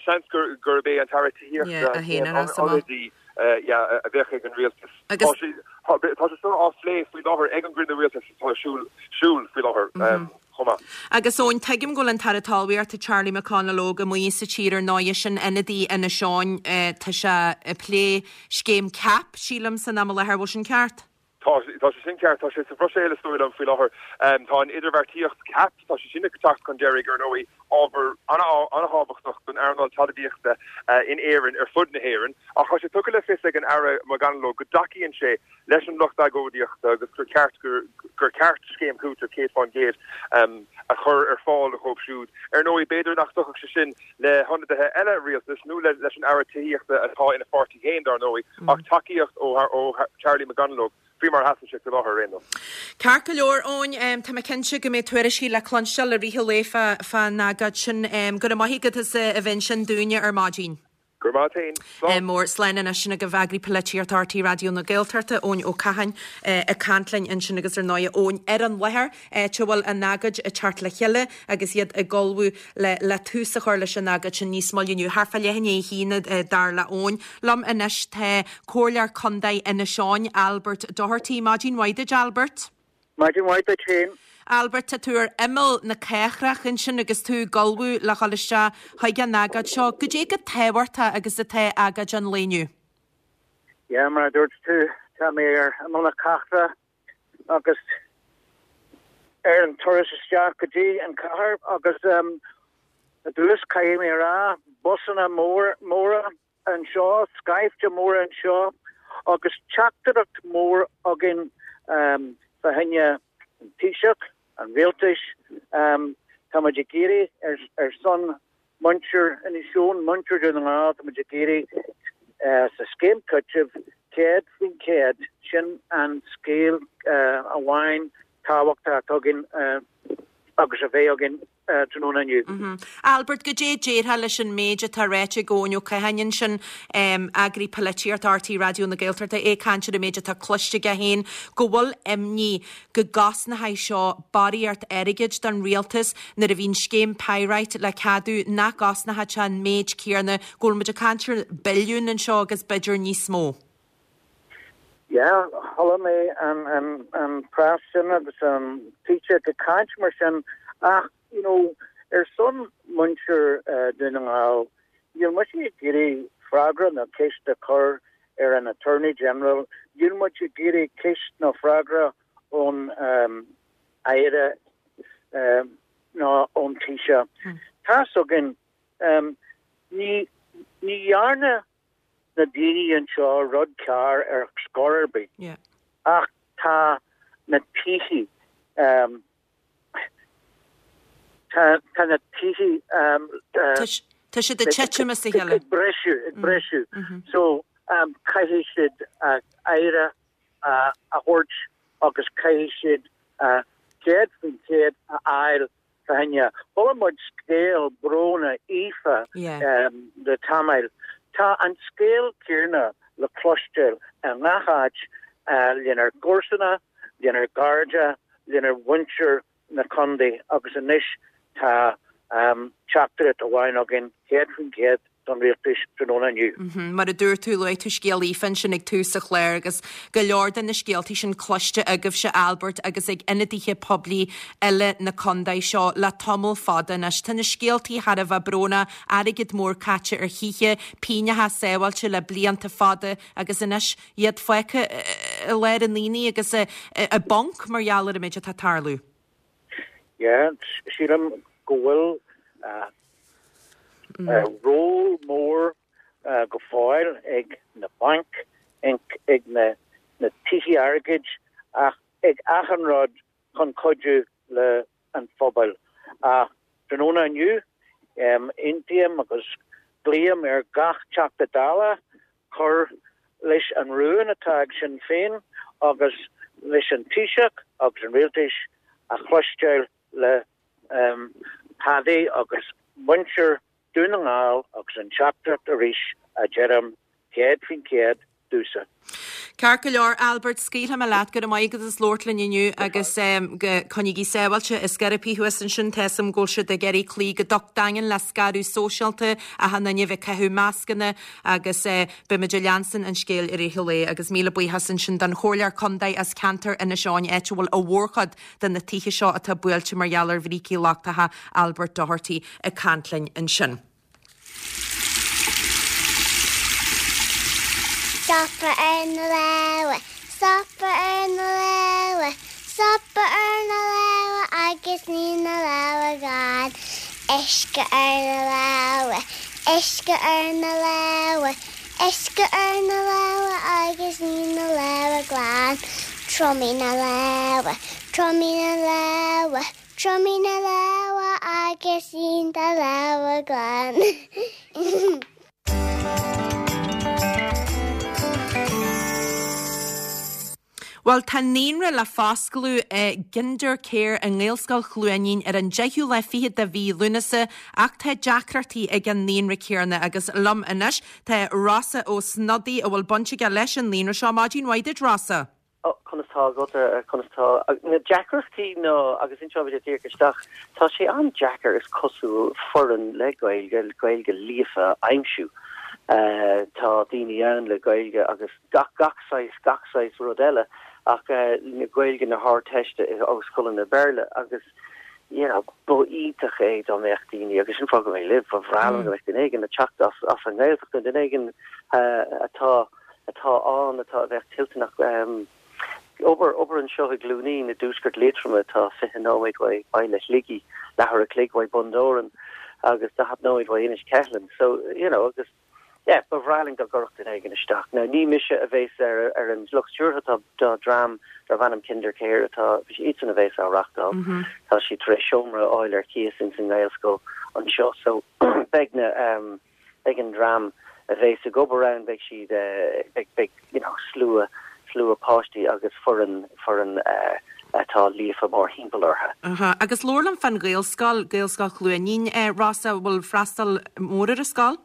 Seans gur gurb é an tAire Tithíochta an t-ionadaí a bheadh ag an rialtas. Tá sé tá sé seo á phlé faoi láthair ag an gcruinniú rialtais atá ar siúl siúl faoi láthair chomh maith. Agus Eoin, tuigim go bhfuil an tAire Talmhaíochta Charlie McConalogue amuigh sa tír ar ndóigh, sin ionadaí Inis Eoghain, tá sé ag plé scéim CAP, sílim, san am i láthair, bhfuil sin ceart? Tá, tá sé sin ceart. Tá sé sa Bhruiséil is dóigh liom faoi láthair. Tá an idirbheartaíocht CAP, tá sé sin ag teacht chun deiridh ar ndóigh, ábhar an-thábhachtach don earnáil talmhaíochta in Éirinn, ar fud na hÉireann. Ach tá sé tugtha le fios ag an Aire McConalogue go dtacaíonn sé leis an lucht agóidíochta agus gur ceart gur ceart scéim cúitimh céad fán gcéad a chur ar fáil dóibh siúd. Ar ndóigh, b'fhéidir nach dtiocfadh sé sin le hionadaithe eile rialtais nó leis an Aire Tithíochta atá ina pháirtí féin, dar ndóigh, ach tacaíocht ó Charlie McConalogue faoi mar a sheasann sé faoi láthair ar aon nós. Ceart go leor, Eoin, tá mé cinnte go mbeidh tuairiscí le cluinsteáil i rith an lae fán agóid sin. Go raibh maith agat as a bheith ansin dúinne ar maidin. Go raibh maith agat féin. Slán. Mór. Slán anois. Sin agaibh Eagraí Polaitíochta R T Raidió na Gaeltachta, Eoin Ó Catháin, ag caint linn ansin agus ar ndóigh Eoin ar an láthair, áit a bhfuil an agóid ag teacht le chéile agus iad ag ullmhú le le tús a chur leis an agóid sin níos moille inniu, thart fá leath i ndiaidh a haon, dar le Eoin. Liom anois tá Comhairleoir Contae Inis Eoghain, Albert Doherty. Maidin mhaith duit, Albert. Maidin mhaith duit féin. Albert, tá tú ar imeall na cathrach ansin agus tú ag ullmhú le dhul isteach chuig an agóid seo. Goidé chomh tábhachtach agus atá agóid an lae inniu? Yeah, mar a dúirt tú, tá mé ar imeall na cathrach agus ar an turas isteach go dtí an chathair agus um, i dtús caithfidh mé a rá, busanna móra anseo, scaifte mór anseo agus teachtaireacht mór againn um, fá choinne an Taoiseach, an rialtais, um, tá muid ag iarraidh ar, ar son muintir Inis Eoghain, muintir Dhún na nGall, tá muid ag iarraidh uh, sa scéim cúitimh céad faoin céad, sin an scéal uh, amháin tábhachtach atá againn uh, agus a bheidh againn tráthnóna inniu. Albert, goidé déarfá leis an méid atá ráite ag Eoin Ó Catháin ansin, eagraí polaitíochta R T Raidió na Gaeltachta, é ag caint ar an méid atá cloiste aige féin, go bhfuil imní go gcosnóidh seo barraíocht airgid don rialtas nuair a bhíonn scéim Pyrite le ceadú nach gcosnódh sé an méid céanna, go bhfuil muid ag caint ar billiún anseo agus b'fhéidir níos mó. Yeah, chuala mé an, an, an preas sin agus an Taoiseach ag caint mar sin ach you know, ar son muintir uh, Dhún na nGall, níl muid ag iarraidh freagra nó ceist a chur ar an Attorney General, níl muid ag iarraidh ceist nó freagra ón um, Aire um, ná ón Taoiseach. Hmm. Tá againn um, ní ní dhearna na daoine anseo rud cearr ar scor ar bith. Yeah. Ach tá na tithe um, tá tá na tithe um, uh, Tá siad ag titim as a chéile. Ag briseadh ag briseadh. Mm -hmm. So um, caithfidh siad uh, aire uh, a thabhairt agus caithfidh siad uh, céad faoin céad a fháil féinne. Chuala muid scéal brónach Aoife um, le tamall. Tá an scéal céanna le cloisteáil i ngach áit uh, lenár gcomharsana, lenár gcairde, lenár muintir na contae agus anois tá um, teachtaireacht amháin againn céad faoin céad don rialtas tráthnóna inniu. Mar a dúirt tú, luaigh tú scéal Aoife ansin ag tús an chláir agus go leor de na scéaltaí sin cloiste agaibhse, Albert, agus ag ionadaithe poiblí eile na contae seo le tamall fada anois. Tá na scéaltaí thar a bheith brónach, airgead mór caite ar thithe, pingneacha sábháilte le blianta fada agus anois iad fágtha i lár an aonaigh agus i bponc mar gheall ar an méid atá ag tarlú. Yeah, sílim go bhfuil ról mór go fóill ag na bainc, ag na na tithe airgid ach ag achan rud chun cuidiú le an phobal. Ach tráthnóna inniu, aontaím agus glaoim ar gach Teachta Dála cur leis an rún atá ag Sinn Féin agus leis an Taoiseach agus an rialtas a chloisteáil le Paddy agus muintir Dún na nGall agus an teachtaireacht arís a deirim céad faoin chéad domhsa. Ceart go leor, Albert, scaoilfidh mé leat, go raibh maith agat as labhairt linn inniu agus go coinnígí sábháilte is scaipthe thuas ansin tá 'fhios a'm go bhfuil siad ag iarraidh cloí go docht daingean le scaradh sóisialta, achan duine a bheith ag caitheamh mascanna agus beimid ag leanstan an scéil i rith an lae agus míle buíochas ansin don Chomhairleoir Contae as ceantar Inis Eoghain, áit a bhfuil an mhórchuid de na tithe seo atá buailte mar gheall ar bhrící lochtacha, Albert Doherty ag caint linn ansin. Stopadh ar na lámha, stopadh ar na lámha, stopadh ar na lámha agus ní na lámha glan. Uisce ar na lámha, uisce ar na lámha, uisce ar na lámha agus ní na lámha glan. Triomaigh na lámha, triomaigh na lámha, triomaigh na lámha agus ní na lámha glan. Bhuel, tá naíonra le foscladh i gKindercare i nGaelscoil Chluainín ar an deichiú lá fichead de mhí Lúnasa ach tá deacrachtaí ag an naíonra céanna agus liom anois tá Rossa Ó Snodaigh a bhfuil baint aige leis an naíonra seo. Maidin mhaith duit, Rossa. Ó, conas tá agat, conas tá. Na deacrachtaí ná, agus inseoidh mé díreach isteach, tá sé an-deacair is cosúil foireann le Gaeilge, Gaeilge líofa a aimsiú. Tá daoine ann le Gaeilge agus gach, gach saghas, gach saghas rud eile ach Gaeilge na hArdteiste ó scoileanna Béarla agus you know, ba iontach é dá mbeadh daoine, agus sin fáth go mbeidh libh, ba bhreá liom go mbeadh duine éigin ag teacht as, as an nGaeltacht nó duine éigin atá, atá ann, atá, a bheadh toilteanach obair, obair anseo i gCluainín i dtuaisceart Liatroma atá fiche nóiméad uaidh baile Shligigh, leathuair a chloig uaidh Bun Dobhráin agus daichead nóiméad uaidh Inis Ceithleann. So, you know, agus Yeah, ba bhreá linn dá gcuirfeadh duine éigin isteach. Now, ní mise a bhéas ar ar an lucht stiúrtha, tá tá dream darb ainm Kindercare atá, iadsan a bhéas á reachtáil. Tá siad tar éis seomra a fháil ar cíos ins an nGaelscoil anseo so beidh na ehm beidh an dream a bhéas ag obair ann, beidh siad eh beidh beidh you know slua slua páistí agus foireann foireann eh atá líofa mórthimpeall orthu. Aha, agus labhair liom fán Ghaelscoil, Gaelscoil Chluainín, eh Rossa, bhfuil freastal mór ar an scoil?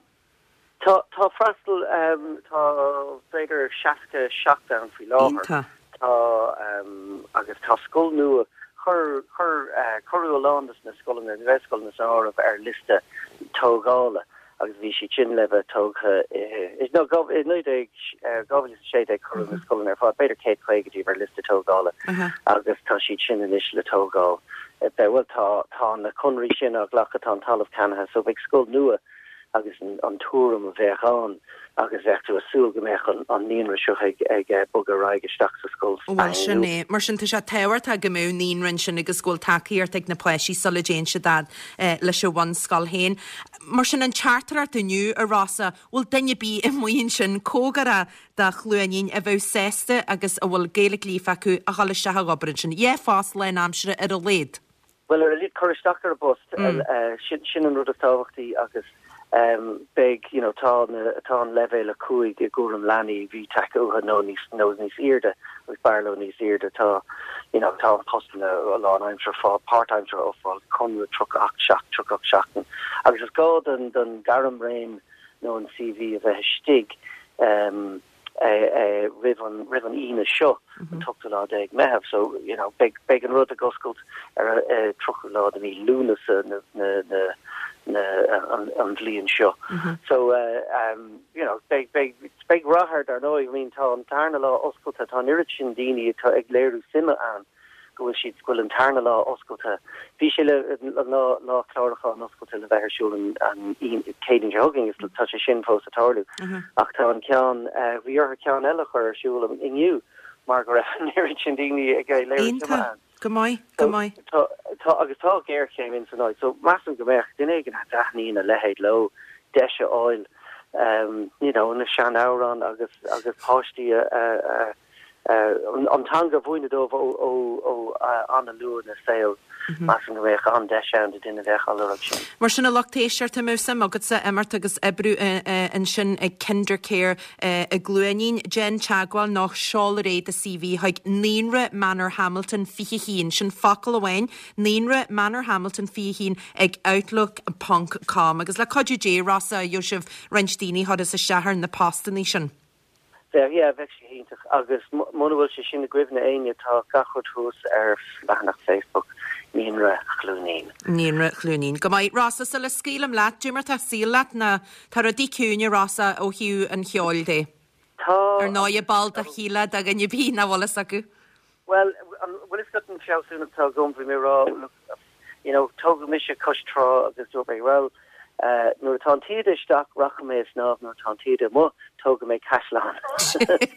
Tá, tá freastal, tá b'fhéidir seasca seacht ann faoi láthair. Iontach. Tá, agus tá scoil nua, chuir, chuir, cuireadh a lán de na scoileanna, na Gaelscoileanna san áireamh ar liosta tógála agus bhí siad sin le bheith tógtha i, no, dhá, i naoi déag, dhá mhíle is a sé déag cuireadh na scoileanna ar fad, b'fhéidir céad caoga díobh ar liosta tógála agus tá siad sin anois le tógáil. Bhuel, tá, tá na conraí sin á nglacadh, tá an talamh ceannaithe so beidh scoil nua agus an tuairim a bheadh ann agus bheadh tú ag súil go mbeadh an naíonra seo ag bogadh ar aghaidh isteach sa scoil Bhuel, sin é. Mar sin, tá sé tábhachtach go mbeadh naíonra ansin agus go bhfuil tacaíocht ag na páistí sula dtéann siad fhad leis an bhunscoil féin. Mar sin, an teachtaireacht inniu, a Rossa, bhfuil duine ar bith amuigh ansin cóngarach do Chluainín a bheadh sásta agus a bhfuil Gaeilge líofa acu a dhul isteach ag obair ansin? Dhá phost lánaimseartha ar a laghad. Bhuel, ar a laghad cur isteach ar an bpost, sin an rud is tábhachtaí agus beidh, you know, tá na, tá an leibhéal a cúig i gcúram leanaí FTAC uathu nó níos, nó níos airde agus b'fhearr leo níos airde, tá, you know, tá an postanna lánaimseartha fá, páirtaimseartha á fáil, conradh tríocha ocht seacht, tríocha ocht seachtain agus is gá don, don gairmréim nó an CV a bheith istigh. roimh an roimh an Aoine seo, an t-ochtú lá déag Meitheamh. So, you know, beidh beidh an rud ag oscailt ar an tríochú lá de mhí Lúnasa na na na na an, an bhliain seo. Mm -hmm. So uh, um, you know, beidh beidh beidh rath air dar ndóigh, I mean tá an tarna lá oscailte tá an oiread sin daoine atá ag léiriú suime ann go bhfuil siad go bhfuil an tarna lá oscailte. Bhí sé le lá lá clárúcháin oscailte le bheith ar siúl an an Céadaoin seo chugainn is tá sé sin fós ag tarlú. Mm -hmm. Ach tá an ceann uh, bhí orthu ceann eile a chur ar siúl inniu mar go raibh an oiread sin daoine ag léiriú suime ann. Go maith, go maith. Tá tá agus tá géarchéim in san áit, so measaim go mbeadh duine éigin a dtaitníonn a leithéid leo deis a fháil um, you know, na seanamhráin agus agus páistí a, a, a, a, an teanga a mhúineadh dóibh ó, ó, ó an-luath ina saol. Measaim go mbeadh an-deis ann do duine a bheadh á lorg sin. Mar sin a lucht éisteachta, má tá suim agatsa imeacht agus oibriú ansin ag Kindercare i gCluainín, déan teagmháil nó seol ar aghaidh do CV chuig Naíonra Manor Hamilton fiche haon, sin focal amháin, Naíonra Manor Hamilton fiche haon ag outlook ponc com. Agus le cuidiú Dé, Rossa, gheobhaidh sibh roinnt daoine a chuirfeas isteach ar na postannaí sin. Bheadh, yeah, bheadh sé iontach agus muna bhfuil sé sin i gcuimhne éinne tá gach rud thuas ar leathanach Facebook Naíonra Chluainín. Naíonra Chluainín. Go maith. Rossa, sula scaoilim leat, cad é mar tá an saol leat ná tá rudaí ciúin, a Rossa, ó thaobh an cheoil de? Tá. Ar ndóigh, ball de Kíla do dhuine ar bith nach bhfuil fhios acu. Bhuel, an bhfuil fhios agat an fealsúnacht atá agam, bhí mé ag rá, look, you know, tógadh mise cois trá agus dúirt mé, well, Nuair atá an taoide isteach, rachaidh mé ag snámh, nuair atá an taoide amuigh, tógfaidh mé caisleán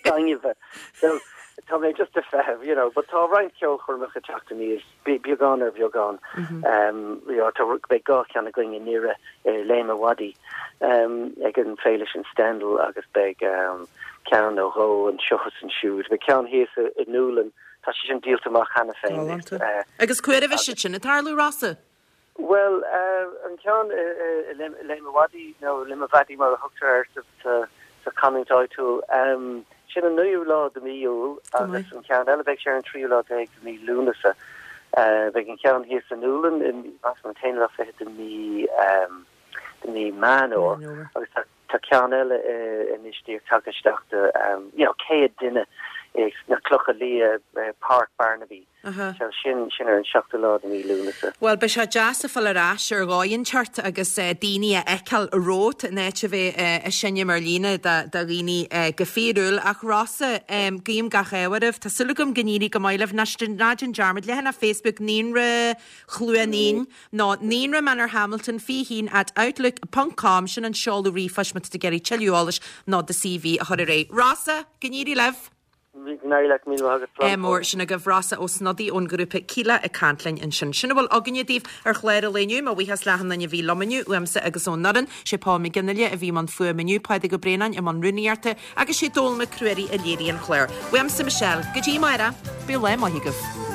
gainimhe. So, tá mé just ag feitheamh, you know, but tá roinnt ceolchoirmeacha ag teacht aníos, beagán ar bheagán. Um, you know, tá beidh dhá cheann againn i nDoire i Léim an Mhadaidh um, ag an féile sin Stendhal agus beidh um, ceann nó dhó anseo is ansiúd. Beidh ceann thíos i, i nDúlainn, tá sé sin díolta amach cheana féin. Agus cá huair a bheidh siad sin ag tarlú, Rossa? Bhuel, an ceann i Léim an Mhadaidh, nó Limavady mar a thugtar air sa chanúint áitiúil, sin an naoú lá de mhí Iúil agus an ceann eile beidh sé ar an tríú lá déag de mhí Lúnasa. Beidh an ceann thíos i nDúlainn, measaim an t-aon lá fichead de mhí de mhí Meán Fhómhair agus tá tá ceann eile anois díreach tagtha isteach de you know céad duine sna Clocha Liath, Páirc Barnaby. So sin sin ar an seachtú lá de mhí Lúnasa. Bhuel, beidh sé deas a fáil ar ais ar dhóigh inteacht agus daoine a fheiceáil romhat in áit a bheith ag seinm ar líne do dhaoine go fíorúil. Ach Rossa, guím gach ádh oraibh. Tá súil agam go n-éirí go maith libh. Ná déan dearmad, leathanach Facebook Naíonra Chluainín nó Naíonra Manor Hamilton fiche haon at outlook ponc com, sin an seoladh ríomhphoist má tá tú ag iarraidh tuilleadh eolais nó do CV a chur ar aghaidh. Rossa, go n-éirí libh! Go n-éirí leat, míle maith agat, slán. Mór sin agaibh Rossa Ó Snodaigh ón ghrúpa Kíla ag caint linn ansin. Sin a bhfuil againne daoibh ar chlár an lae inniu. Mo bhuíochas le achan duine a bhí liom inniu, uaimse agus ón fhoireann. Sé Paul McGinley a bhí i mbun fuaime inniu, Pádraig Ó Braonáin i mbun rúnaíochta agus sé Dónal Mac Ruairí a léirigh an clár. Uaimse Michelle, go dtí amárach, bíodh lá maith agaibh.